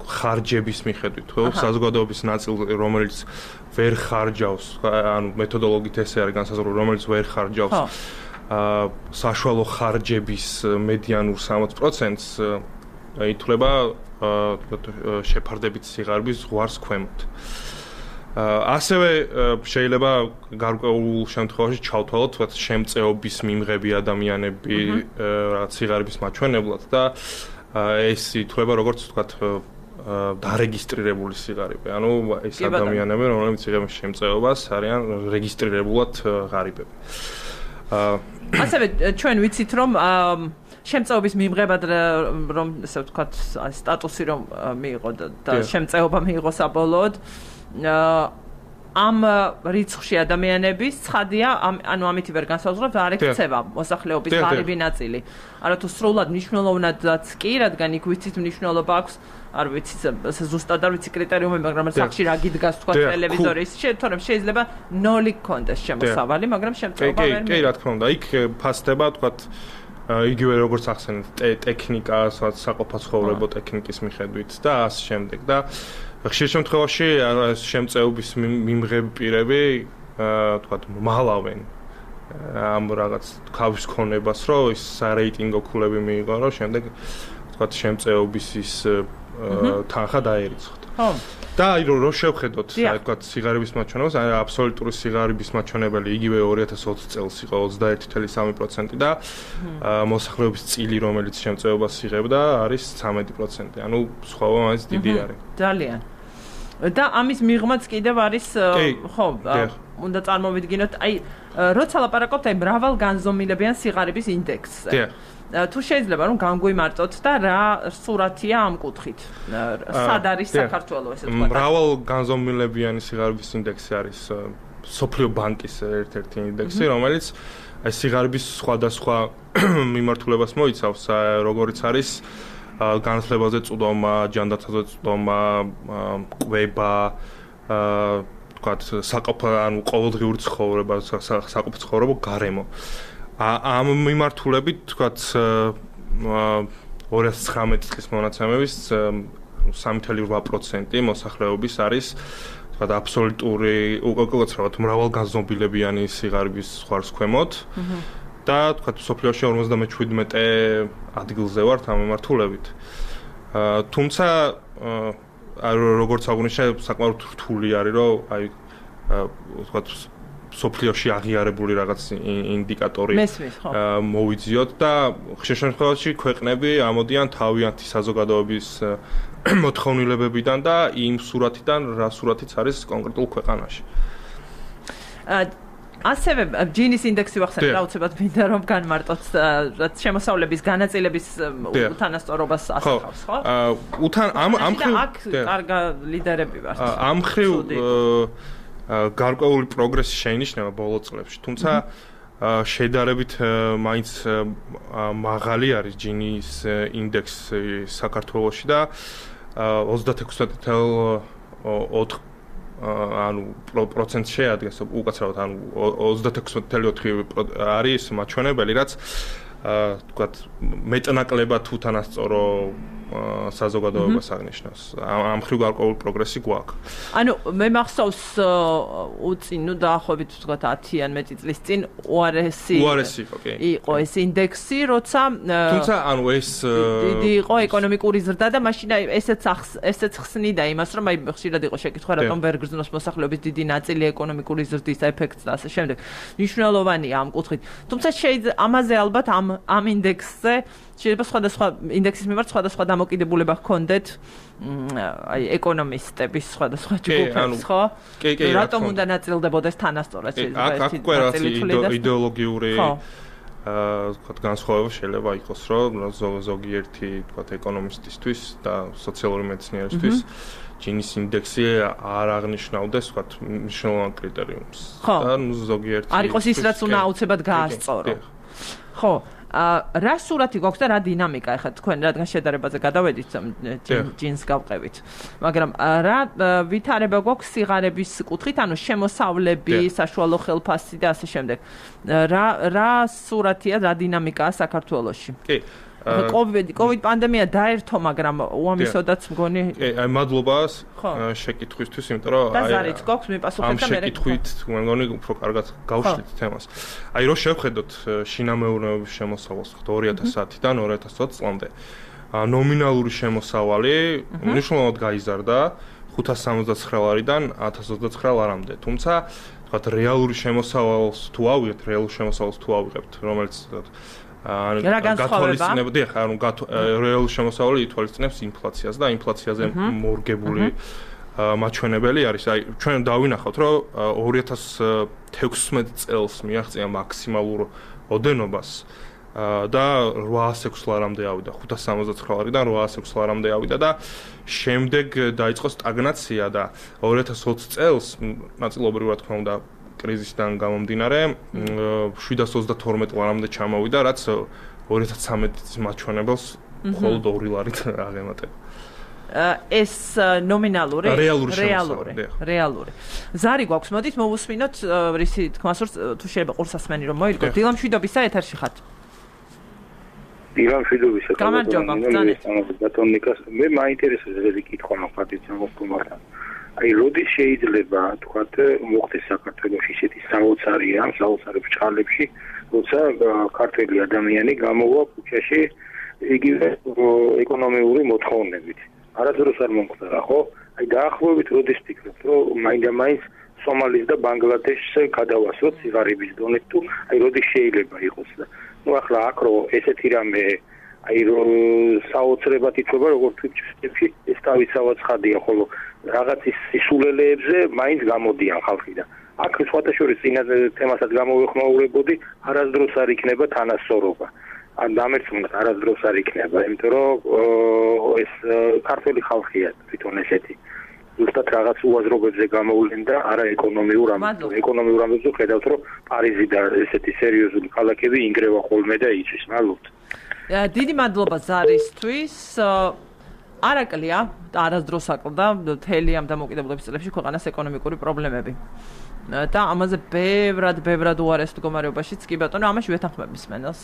ხარჯების მიხედვით, ხო, საზოგადოების ნაწილი, რომელიც ვერ ხარჯავს, ანუ მეთოდოლოგიით ესე არის განსაზღვრული, რომელიც ვერ ხარჯავს საშუალო ხარჯების მედიანურ 60%-ს ითვლება შეფარდებით სიღარიბის ზღვარს ქვემოთ. ასევე შეიძლება გარკვეულ შემთხვევაში ჩავთვალოთ შემწეობის მიმღები ადამიანები რაღაც სიღარიბის მაჩვენებლად და ეს ითვლება როგორც ვთქვათ დარეგისტრირებული სიღარიბე. ანუ ეს ადამიანები, რომლებიც იღებენ შემწეობას, არიან რეგისტრირებულად ღარიბები. ასევე ჩვენ ვიცით რომ შემწეობის მიმღებად რომ ესე ვთქვათ სტატუსი რომ მიიღო და შემწეობა მიიღო საბოლოოდ ამ რიცხვში ადამიანების ცხადია ანუ ამითი ვერ განსაზღვრებთ არ ექცევა მოსახლეობის ღარიბი ნაწილი. არა თუ სრულად მნიშვნელოვნადაც კი, რადგან იქ ვიცით მნიშვნელობა აქვს არ ვიცი ზუსტად არ ვიცი კრიტერიუმები, მაგრამ სახში რა გიდგას თქვა ტელევიზორის, თორემ შეიძლება 0 გქონდეს შემოსავალი, მაგრამ შემწეობა ვერ კი, რა თქმა უნდა, იქ ფასდება თქვა იგივე როგორც ახსენეთ ტექნიკა, საყოფაცხოვრებო ტექნიკის მიხედვით და ასე შემდეგ და ხშირ შემთხვევაში შემწეობის მიმღები პირები თქვა მალავენ ამ რაღაც ქავის ქონებას, რომ ის სარეიტინგო ქულები მიიღო, რომ შემდეგ თქვა შემწეობის ის თანხა დაერიცხოთ. ხო. და აი რომ შევხედოთ, აი თქვა სიღარიბის მაჩვენებელს, აი აბსოლუტური სიღარიბის მაჩვენებელი იგივე 2020 წელს იყო 21.3% და მოსახლეობის წილი, რომელიც შემწეობას იღებდა, არის 13%. ანუ სხვაობა მაინც დიდი არის. ძალიან. და ამის მიღმაც კიდევ არის ხო, უნდა წარმოვიდგინოთ, აი როცა ლაპარაკობთ აი მრავალგანზომილებიან სიღარიბის ინდექსზე. თუ შეიძლება რომ განგვიმარტოთ და რა სურათია ამ კუთხით. სად არის საქართველოს ესე ვთქვათ. მრავალგანზომილებიანი სიღარიბის ინდექსი არის სოფლიო ბანკის ერთ-ერთი ინდექსი, რომელიც აი სიღარიბის სხვადასხვა მიმართულებას მოიცავს, როგორიც არის განათლებაზე წვდომა, ჯანდაცვაზე წვდომა, კვება, თქვათ ანუ ყოველდღიური ცხოვრება, საყოფო ცხოვრება გარემო. ამ მიმართულებით თქვათ 2019 წლის მონაცემების 3.8% მოსახლეობის არის თქვა აბსოლუტური უკაცრავად მრავალგანზომილებიანი სიღარიბის ხარს ქვემოთ და თქვა სოფლიოში 57 ადგილზე ვართ ამ მიმართულებით. თუმცა როგორც აღნიშნე საკმაოდ რთული არის რომ აი თქვა სოფლიოში აღიარებული რაღაც ინდიკატორი მოვიძიოთ და ხშირ შემთხვევაში ქვეყნები ამოდიან თავიანთი საზოგადოების მოთხოვნილებებიდან და იმ სურათიდან რა სურათიც არის კონკრეტულ ქვეყანაში. ასევე ჯინის ინდექსი ვახსენებ აუცილებლად მინდა რომ განმარტოთ რაც შემოსავლების განაწილების უთანასწორობას ასახავს ხო? ამ ხრივ კარგ ლიდერები ვართ. ამ ხრივ გარკვეული პროგრესი შეინიშნება ბოლო წლებში, თუმცა შედარებით მაინც მაღალი არის ჯინის ინდექსი საქართველოში და 36.4 ანუ პროცენტ შეადგენს უკაცრავად ანუ 36.4 არის მაჩვენებელი რაც თქვათ მეტნაკლებად უთანასწორო საზოგადოებას აღნიშნავს. ამ ხრივ გარკვეული პროგრესი გვაქვს. ანუ მე მახსოვს უწინ, ნუ დაახლოებით ვთქვათ 10-ან მეტი წლის წინ უარესი იყო ეს ინდექსი, როცა თუმცა ანუ ეს დიდი იყო ეკონომიკური ზრდა და მაშინ აი ესეც ხსნიდა იმას, რომ აი ხშირად იყო შეკითხვა, რატომ ვერ გრძნობს მოსახლეობის დიდი ნაწილი ეკონომიკური ზრდის ეფექტს და ასე შემდეგ. მნიშვნელოვანია ამ კუთხით. თუმცა ამაზე ალბათ ამ ინდექსზე შეიძლება სხვადასხვა ინდექსის მიმართ სხვადასხვა დამოკიდებულება ჰქონდეთ აი ეკონომისტების სხვადასხვა ჯგუფებს, ხო? რატომ უნდა ნაწილდებოდეს თანასწორად შეიძლება ეს იდეოლოგიური ვთქვათ განსხვავება შეიძლება იყოს, რომ ზოგიერთი ვთქვათ ეკონომისტისთვის და სოციალური მეცნიერისთვის ჯინის ინდექსი არ აღნიშნავდეს ვთქვათ მნიშვნელოვან კრიტერიუმს. და ზოგიერთი არ იყოს ის რაც უნდა აუცილებლად გაასწორო. ხო. რა სურათი გვაქვს და რა დინამიკა ახლა თქვენ რადგან შედარებაზე გადავედით ჯინს გავყევით. მაგრამ რა ვითარება გვაქვს სიღარების კუთხით, ანუ შემოსავლები, საშუალო ხელფასი და ასე შემდეგ. რა სურათია, რა დინამიკაა საქართველოში? კი. COVID პანდემია დაერთო, მაგრამ უამისოდაც მგონი. აი მადლობა შეკითხვისთვის, იმიტომ რომ აი ზარით გვაქვს მიპასუხეთ და მე შეკითხვით მე მგონი უფრო კარგად გავშლით თემას. აი რო შევხედოთ შინამეურნეობის შემოსავალს 2010-დან 2020 წლამდე. ნომინალური შემოსავალი მნიშვნელოვნად გაიზარდა 569-დან 1029 ლარამდე. თუმცა თქვათ რეალური შემოსავალს თუ ავიღებთ, რომელიც გათვალისწინებდი ხა ანუ რეალური შემოსავალი ითვალისწინებს ინფლაციას და ინფლაციაზე მორგებული მაჩვენებელი არის. აი ჩვენ დავინახავთ რომ 2016 წელს მიაღწია მაქსიმალურ ოდენობას და 806 ლარამდე ავიდა 569 ლარიდან 806 ლარამდე ავიდა და შემდეგ დაიწყო სტაგნაცია და 2020 წელს ნაწილობრივად თქმა უნდა კრიზისიდან გამომდინარე 732 ლარამდე ჩამოვიდა, რაც 2013 წლის მაჩვენებელს მხოლოდ 2 ლარით აღემატება. ეს ნომინალური რეალური. ზარი გვაქვს, მოდით მოვუსმინოთ რისი თქმას თუ შეიძლება ყურსასმენი რომ მოიგოთ. დილა მშვიდობისა ეთერში ხართ. დილა მშვიდობისა. გამარჯობა, ბატონიკას. მე მაინტერესებს ეს კითხვა მაგათი მოხდა. აი როდის შეიძლება თქვათ მოხდეს საქართველოში ისეთი საოცარი ბჭყალებში, როცა ქართველი ადამიანი გამოვა ქუჩაში იგივე ეკონომიური მოთხოვნებით. არასდროს არ მომხდარა, ხო? აი დაახლოებით როდის ფიქრობთ, რომ მაინდა-მაინც სომალის და ბანგლადეშს გადავასვოთ სიღარიბის დონით თუ აი როდის შეიძლება იყოს და ნუ ახლა აქ რო ესეთი რამე აი რო საოცრებად ითქვა როგორც თვითში ეს თავისავად ცხადია, ხოლო რაღაც ის სისულელეებზე მაინც გამოდიან ხალხი და აქ სხვათა შორის წინა თემასაც გამოვეხმაურებოდი, არასდროს არ იქნება თანასწორობა. ან დამერწმუნდით არასდროს არ იქნება, იმიტომ რომ ეს ქართული ხალხია თვითონ ესეთი. ზუსტად რაღაც უაზრობებზე გამოვლენ და არა ეკონომიურ ამბებზე ხედავთ, რომ პარიზი და ესეთი სერიოზული ქალაქები ინგრევა ხოლმე და იცის. მადლობთ. დიდი მადლობა ზარისთვის. არაკლია, არასდროს აკლდა მთელი ამ დამოკიდებულების წლებში ქვეყანას ეკონომიკური პრობლემები. და ამაზე ბევრად უარეს მდგომარეობაშიც კი ბატონო, ამაში ვეთანხმები მსმენელს.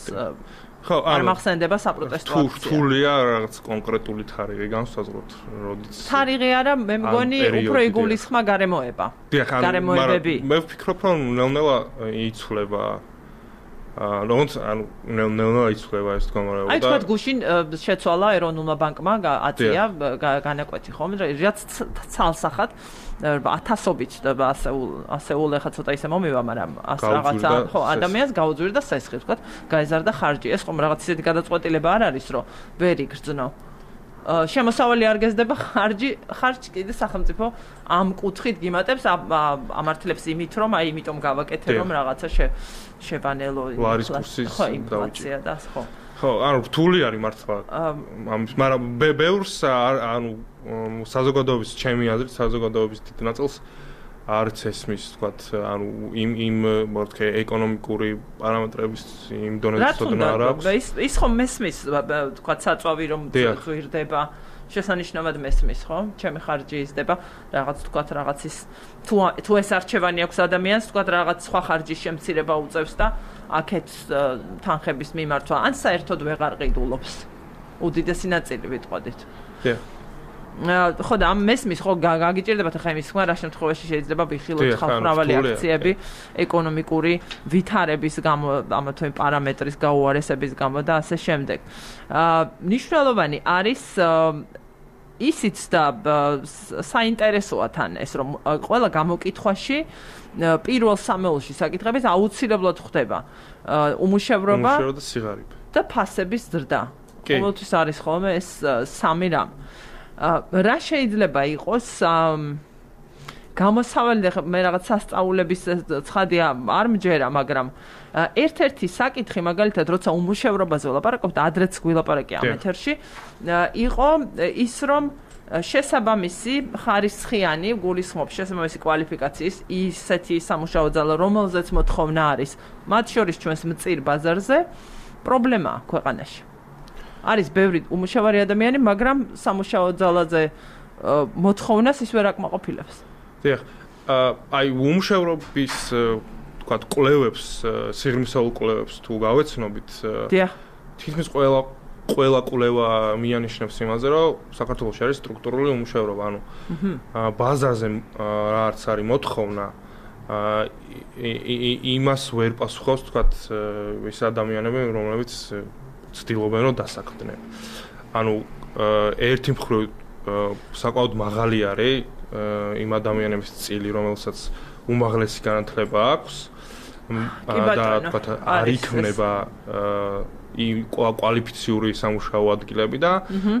ხო, არ მახსენდება საპროტესტო აქცია. რთულია რაღაც კონკრეტული თარიღი განსაზღვროთ, როდესაც თარიღი არა, მე მგონი უფრო იგულისხმა გარემოება. გარემოებები. მე ვფიქრობ, რომ ნელ-ნელა იცვლება როგორც ნელ-ნელა იცვლება ეს მდგომარეობა. აი თქვა გუშინ შეცვალა ეროვნულმა ბანკმა აწია განაკვეთი ხომ, რაც ცალსახად ათასობით ასეულ ეხა ცოტა ისე მომივა, მაგრამ ას რაღაცა ხო ადამიანს გაუძვირდა სესხი, თქვა, გაეზარდა ხარჯი. ეს ხომ რაღაც ისეთი გადაწყვეტილება არ არის, რომ ვერ იგრძნო. შემოსავალი არ გეზდება ხარჯი კიდე სახელმწიფო ამ კუთხით გიმატებს ამართლებს იმით, რომ აი იმიტომ გავაკეთე, რომ რაღაცა შევანელო ინფლაცია და ხო. ხო, ანუ რთული არის მართლა. მაგრამ ბევრს ანუ საზოგადოების ჩემი აზრით საზოგადოების დიდ ნაწილს არც ესმის, თქვათ, ანუ იმ მორთქე ეკონომიკური პარამეტრების იმ დონეზე ცოდნა არ აქვს. ის ხომ მესმის, თქვათ, საწვავი რომ ღირდება, შესანიშნავად მესმის, ხო? ჩემი ხარჯი იზრდება, რაღაც თქვათ, რაღაცის თუ ეს არჩევანი აქვს ადამიანს, თქვათ, რაღაც სხვა ხარჯის შემცირება უწევს და აქეთ თანხების მიმართვა, ან საერთოდ ვეღარ ყიდულობს. უდიდესი ნაწილი ვიტყოდით. ხო და ამ მესმის ხო გაგიჭირდებათ ახლა იმის თქმა, რა შემთხვევაში შეიძლება ვიხილოთ ხალხმრავალი აქციები ეკონომიკური ვითარების გამო, ამა თუ იმ პარამეტრის გაუარესების გამო და ასე შემდეგ. მნიშვნელოვანი არის ისიც და საინტერესოა თან ეს, რომ ყველა გამოკითხვაში პირველ სამეულში საკითხების აუცილებლად ხდება უმუშევრობა და სიღარიბე და ფასების ზრდა. ყოველთვის არის ხოლმე ეს სამი რამ. რა შეიძლება იყოს გამოსავალი მე რაღაც სასწაულების ცხადია არ მჯერა, მაგრამ ერთ-ერთი საკითხი მაგალითად როცა უმუშევრობაზე ვლაპარაკობთ, ადრეც გვილაპარაკე ამ ეთერში, იყო ის რომ შესაბამისი ხარისხიანი გულისხმობს შესაბამისი კვალიფიკაციის ისეთი სამუშაო ძალა, რომელზეც მოთხოვნა არის, მათ შორის ჩვენს მწირ ბაზარზე პრობლემაა ქვეყანაში. არის ბევრი უმუშევარი ადამიანი, მაგრამ სამუშაო ძალაზე მოთხოვნას ის ვერ აკმაყოფილებს. დიახ. აი უმუშევრობის თქვათ კვლევებს, სიღრმისეულ კვლევებს თუ გავეცნობით, დიახ. თითქმის ყველა კვლევა მიანიშნებს იმაზე, რომ საქართველოში არის სტრუქტურული უმუშევრობა, ანუ ბაზარზე რაც არის მოთხოვნა, იმას ვერ პასუხობს თქვათ ის ადამიანები, რომლებიც ცდილობენ რომ დასაქმდნენ. ანუ ერთი მხრივ საკმაოდ მაღალი არის იმ ადამიანების წილი, რომელსაც უმაღლესი განათლება აქვს და თქვათ არ იქნება იმ კვალიფიციური სამუშაო ადგილები და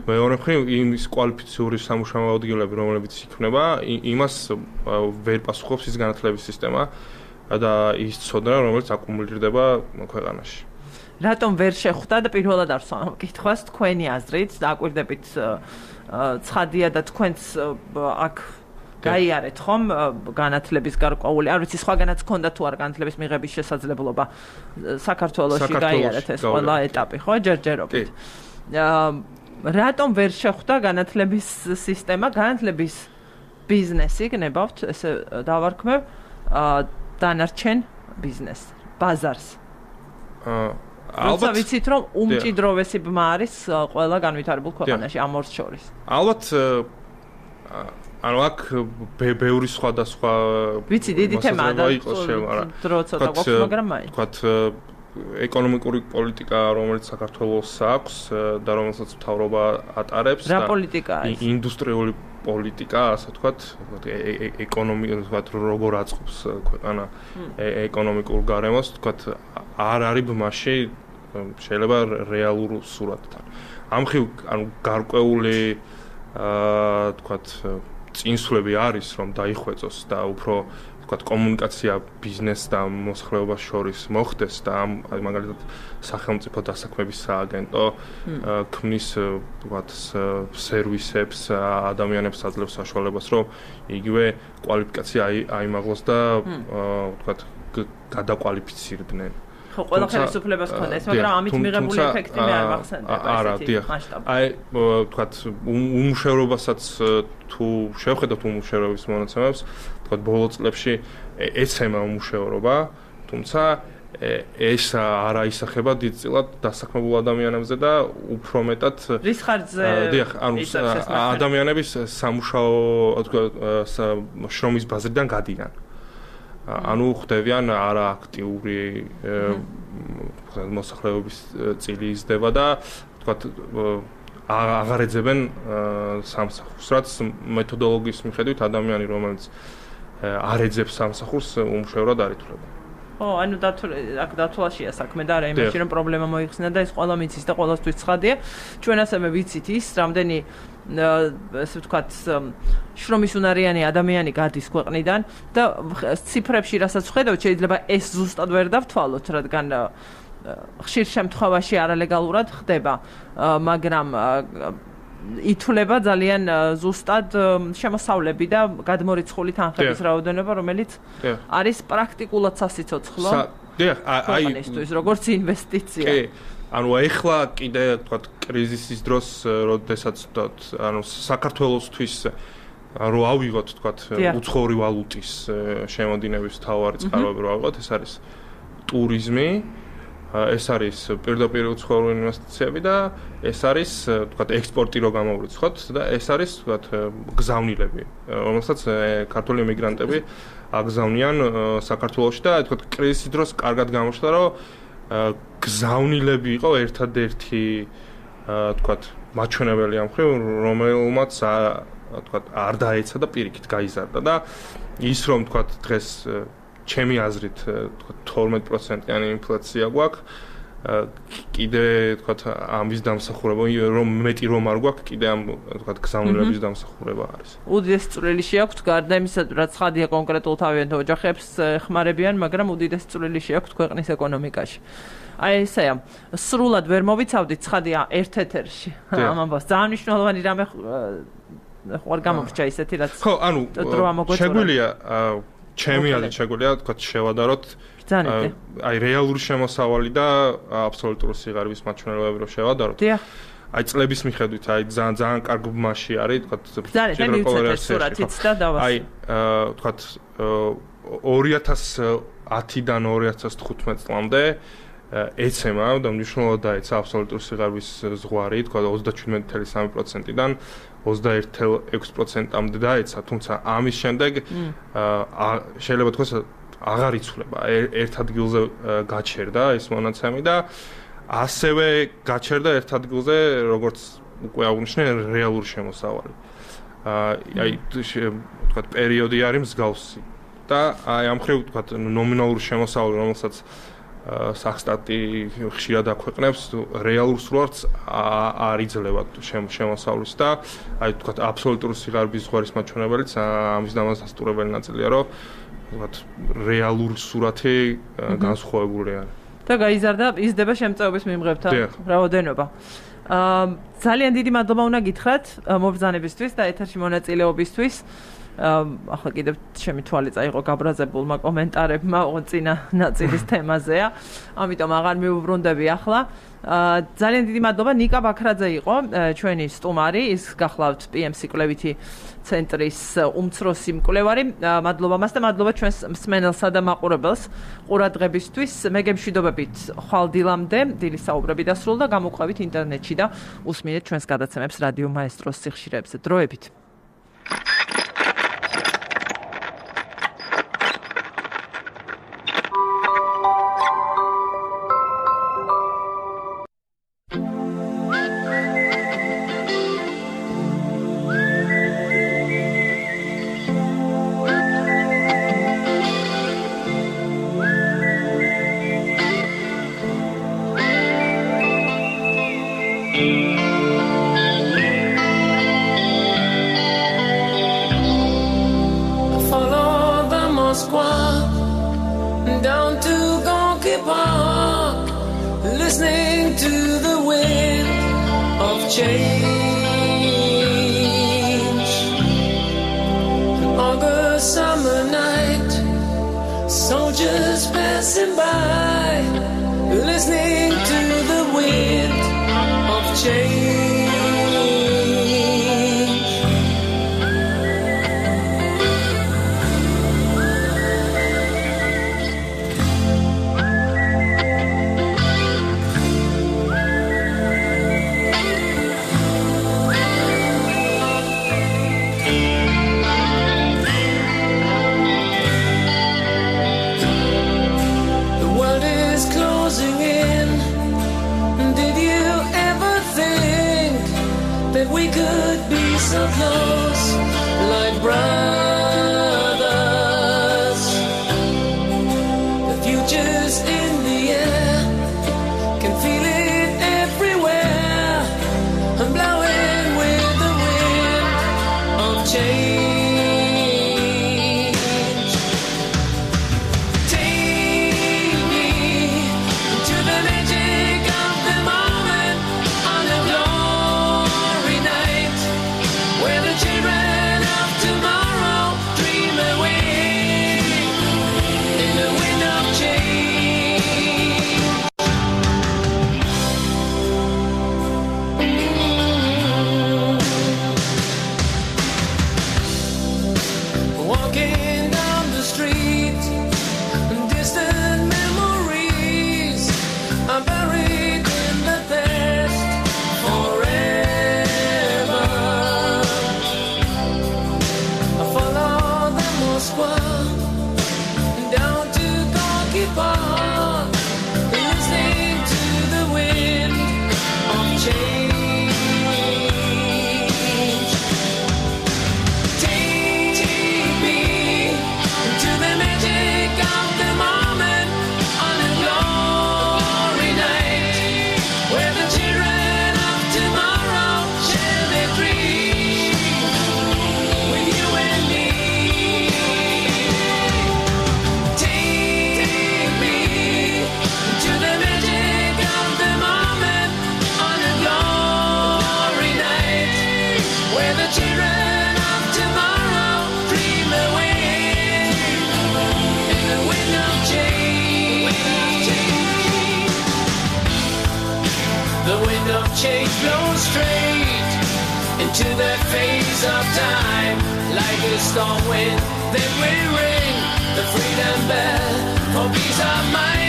მეორე მხრივ იმის კვალიფიციური სამუშაო ადგილები, რომლებიც იქნება, იმას ვერ პასუხობს ის განათლების სისტემა და ის ცოდნა, რომელიც აკუმულირდება ქვეყანაში. რატომ ვერ შეხვდა და პირველად არ ვსვამ კითხვას თქვენი აზრით და აკვირდებით ცხადია და თქვენც აქ გაიარეთ ხომ განათლების გარკვეული, არ ვიცი სხვაგანაც ქონდა თუ არ განათლების მიღების შესაძლებლობა საქართველოში გაიარეთ ეს ყველა ეტაპი, ხო, ჯერჯერობით. რატომ ვერ შეხვდა განათლების სისტემა, განათლების ბიზნესი, გნებავთ, ესე დავარქმევ, დანარჩენ ბიზნესს, ბაზარს. ალბათ ვიცით რომ უმჭიდროვესი ბმა არის ყველა განვითარებულ ქვეყანაში ამ ორს შორის. ალბათ ანუ აქ ბევრი სხვადასხვა ვიცი დიდი თემაა და დრო ცოტა გვაქვს, მაგრამ მაინც თქვათ ეკონომიკური პოლიტიკა, რომელიც საქართველოს აქვს და რომელსაც მთავრობა ატარებს და რა პოლიტიკა არის? ინდუსტრიული პოლიტიკა, ასე ვთქვათ, ეკონომიკა, ვთქვათ, როგორ აწყობს ქვეყანა ეკონომიკურ გარემოს, ვთქვათ, არ არის ბმაში შეიძლება რეალურ სურათთან. ამ ხრივ, ანუ გარკვეული ვთქვათ, წინსვლები არის, რომ დაიხვეწოს და უფრო ვთქვათ, კომუნიკაცია ბიზნეს და მოსახლეობას შორის მოხდეს და ამ მაგალითად სახელმწიფო დასაქმების სააგენტო ქმნის ვთქვათ სერვისებს, ადამიანებს აძლევს საშუალებას, რომ იგივე კვალიფიკაცია აიმაღლოს და ვთქვათ გადაკვალიფიცირდნენ. ხო, ყველა ხელისუფლებას ქონდა ეს, მაგრამ ამით მიღებული ეფექტი მე არ მახსენდება ესეთი მასშტაბი. აი, თქვათ, უმუშევრობასაც თუ შევხედოთ უმუშევრობის მონაცემებს, თქვათ, ბოლო წლებში ეცემა უმუშევრობა, თუმცა ეს არ აისახება დიდწილად დასაქმებულ ადამიანებზე და უფრო მეტად რის ხარჯზე დიახ, ანუ ადამიანების სამუშაო შრომის ბაზრიდან გადიან. ანუ ხდებიან არააქტიური მოსახლეობის წილი იზრდება და თქვათ აღარ ეძებენ სამსახურს, რაც მეთოდოლოგიის მიხედვით ადამიანი, რომელიც არ ეძებს სამსახურს, უმუშევრად არ ითვლება. ო, ანუ აქ დათვალაშია საქმე და არა იმაში, რომ პრობლემა მოიხსნა და ეს ყველა მიცის და ყველასთვის ცხადია. ჩვენ ასევე ვიცით ის, რამდენი ესე ვთქვათ, შრომის უნარიანი ადამიანი გადის ქვეყნიდან და ციფრებში რასაც ვხედავთ, შეიძლება ეს ზუსტად ვერ დავთვალოთ, რადგან ხშირ შემთხვევაში არალეგალურად ხდება, მაგრამ ითვლება ძალიან ზუსტად შემოსავლები და გადმორიცხული თანხების რაოდენობა, რომელიც არის პრაქტიკულად სასიცოცხლო. დიახ, აი ის როგორც ინვესტიცია. კი, ანუ ეხლა კიდე თქვათ კრიზისის დროს, როდესაც ანუ საქართველოსთვის რო ავიღოთ თქვათ უცხოური ვალუტის შემოდინების მთავარი წყაროები რო ავიღოთ, ეს არის ტურიზმი, ეს არის პირდაპირ უცხოური ინვესტიციები და ეს არის თქვათ ექსპორტი რო გამოვრიცხოთ და ეს არის თქვათ გზავნილები, რომელსაც ქართული ემიგრანტები აგზავნიან საქართველოში და თქვათ კრიზისის დროს კარგად გამოჩნდა, რომ გზავნილები იყო ერთადერთი თქვათ მაჩვენებელი ამ მხრივ, რომელმაც თქვათ არ დაეცა და პირიქით გაიზარდა და ის რომ თქვათ დღეს ჩემი აზრით თქვათ 12%-იანი ინფლაცია გვაქვს, კიდე თქვათ ამის დამსახურება, რომ მეტი რომ არ გვაქვს, კიდე ამ თქვათ გზავნილების დამსახურება არის. უდიდესი წვლილი შეაქვთ გარდა იმისა, რაც ცხადია კონკრეტულ თავიანთ ოჯახებს ხმარებიან, მაგრამ უდიდესი წვლილი შეაქვთ ქვეყნის ეკონომიკაში. აი ესეა, სრულად ვერ მოვიცავდით ცხადია ერთ-ერთში. ამ ამბავს ძალიან მნიშვნელოვანი რამე ხوار გამომრჩა ისეთი რაც ხო, ანუ შეგვიძლია ჩემი აზრით შეგვიძლია თქვათ შევადაროთ აი რეალური შემოსავალი და აბსოლუტური სიღარიბის მაჩვენებლები რო შევადაროთ. აი წლების მიხედვით აი ძალიან კარგ მასში არის თქვათ აი თქვათ 2010-დან 2015 წლამდე ეცემა და მნიშვნელოვნად დაეცა აბსოლუტური სიღარიბის ზღვარი თქვათ 37.3%-დან 21.6%-მდე დაეცა, თუმცა ამის შემდეგ შეიძლება თქვას აღარ იცვლება, ერთ ადგილზე გაჩერდა ეს მონაცემი და ასევე გაჩერდა ერთ ადგილზე, როგორც უკვე აღნიშნე, რეალური შემოსავალი. აი თქვათ პერიოდი არის მსგავსი და აი ამ მხრივ თქვათ ნომინალური შემოსავალი, რომელსაც სახსტატი ხშირად აქვეყნებს, რეალურ სრულად არ იძლევა შემოსავლის და აი თქვათ აბსოლუტური სიღარიბის ზღვარის მაჩვენებელიც ამის დამასწორებელი ნაწილია, რომ თქვათ რეალური სურათი განსხვავებული არის. და გაიზარდა იზრდება შემწეობის მიმღებთა რაოდენობა. ძალიან დიდი მადლობა უნდა გითხრათ მობრძანებისთვის და ეთერში მონაწილეობისთვის. ახლა კიდევ ჩემი თვალი წაიღო გაბრაზებულმა კომენტარებმა წინა ნაწილის თემაზეა. ამიტომ აღარ მიუბრუნდები ახლა. ძალიან დიდი მადლობა ნიკა ბაქრაძე იყო ჩვენი სტუმარი, ის გახლავთ PMC კვლევითი ცენტრის უმცროსი მკვლევარი. მადლობა მას და მადლობა ჩვენს მსმენელსა და მაყურებელს ყურადღებისთვის. მე გემშვიდობებით ხვალ დილამდე, დილის საუბრები დასრულდა, გამოყვებით ინტერნეტში და უსმინეთ ჩვენს გადაცემებს რადიო მაესტროს სიხშირეებზე. დროებით. Soldiers passing by change. The world is closing in. Did you ever think that we could be so close, like brothers? The future's in the air, can feel it everywhere. I'm blowing with the wind of change. Take me to the magic of the moment on a glory night, where the children of tomorrow dream away in the wind of change. Walking down the street, distant memories are buried in the past forever. I follow the Moskva down to Gorky Park, listening to the wind of change. Take me to the magic of the moment on a glory night, where the children of tomorrow share their dreams with you and me. Take me to the magic of the moment on a glory night, where the children of tomorrow dream away in the wind of change. The wind of change blows straight into that phase of time, like a storm wind that will ring the freedom bell for peace of mind.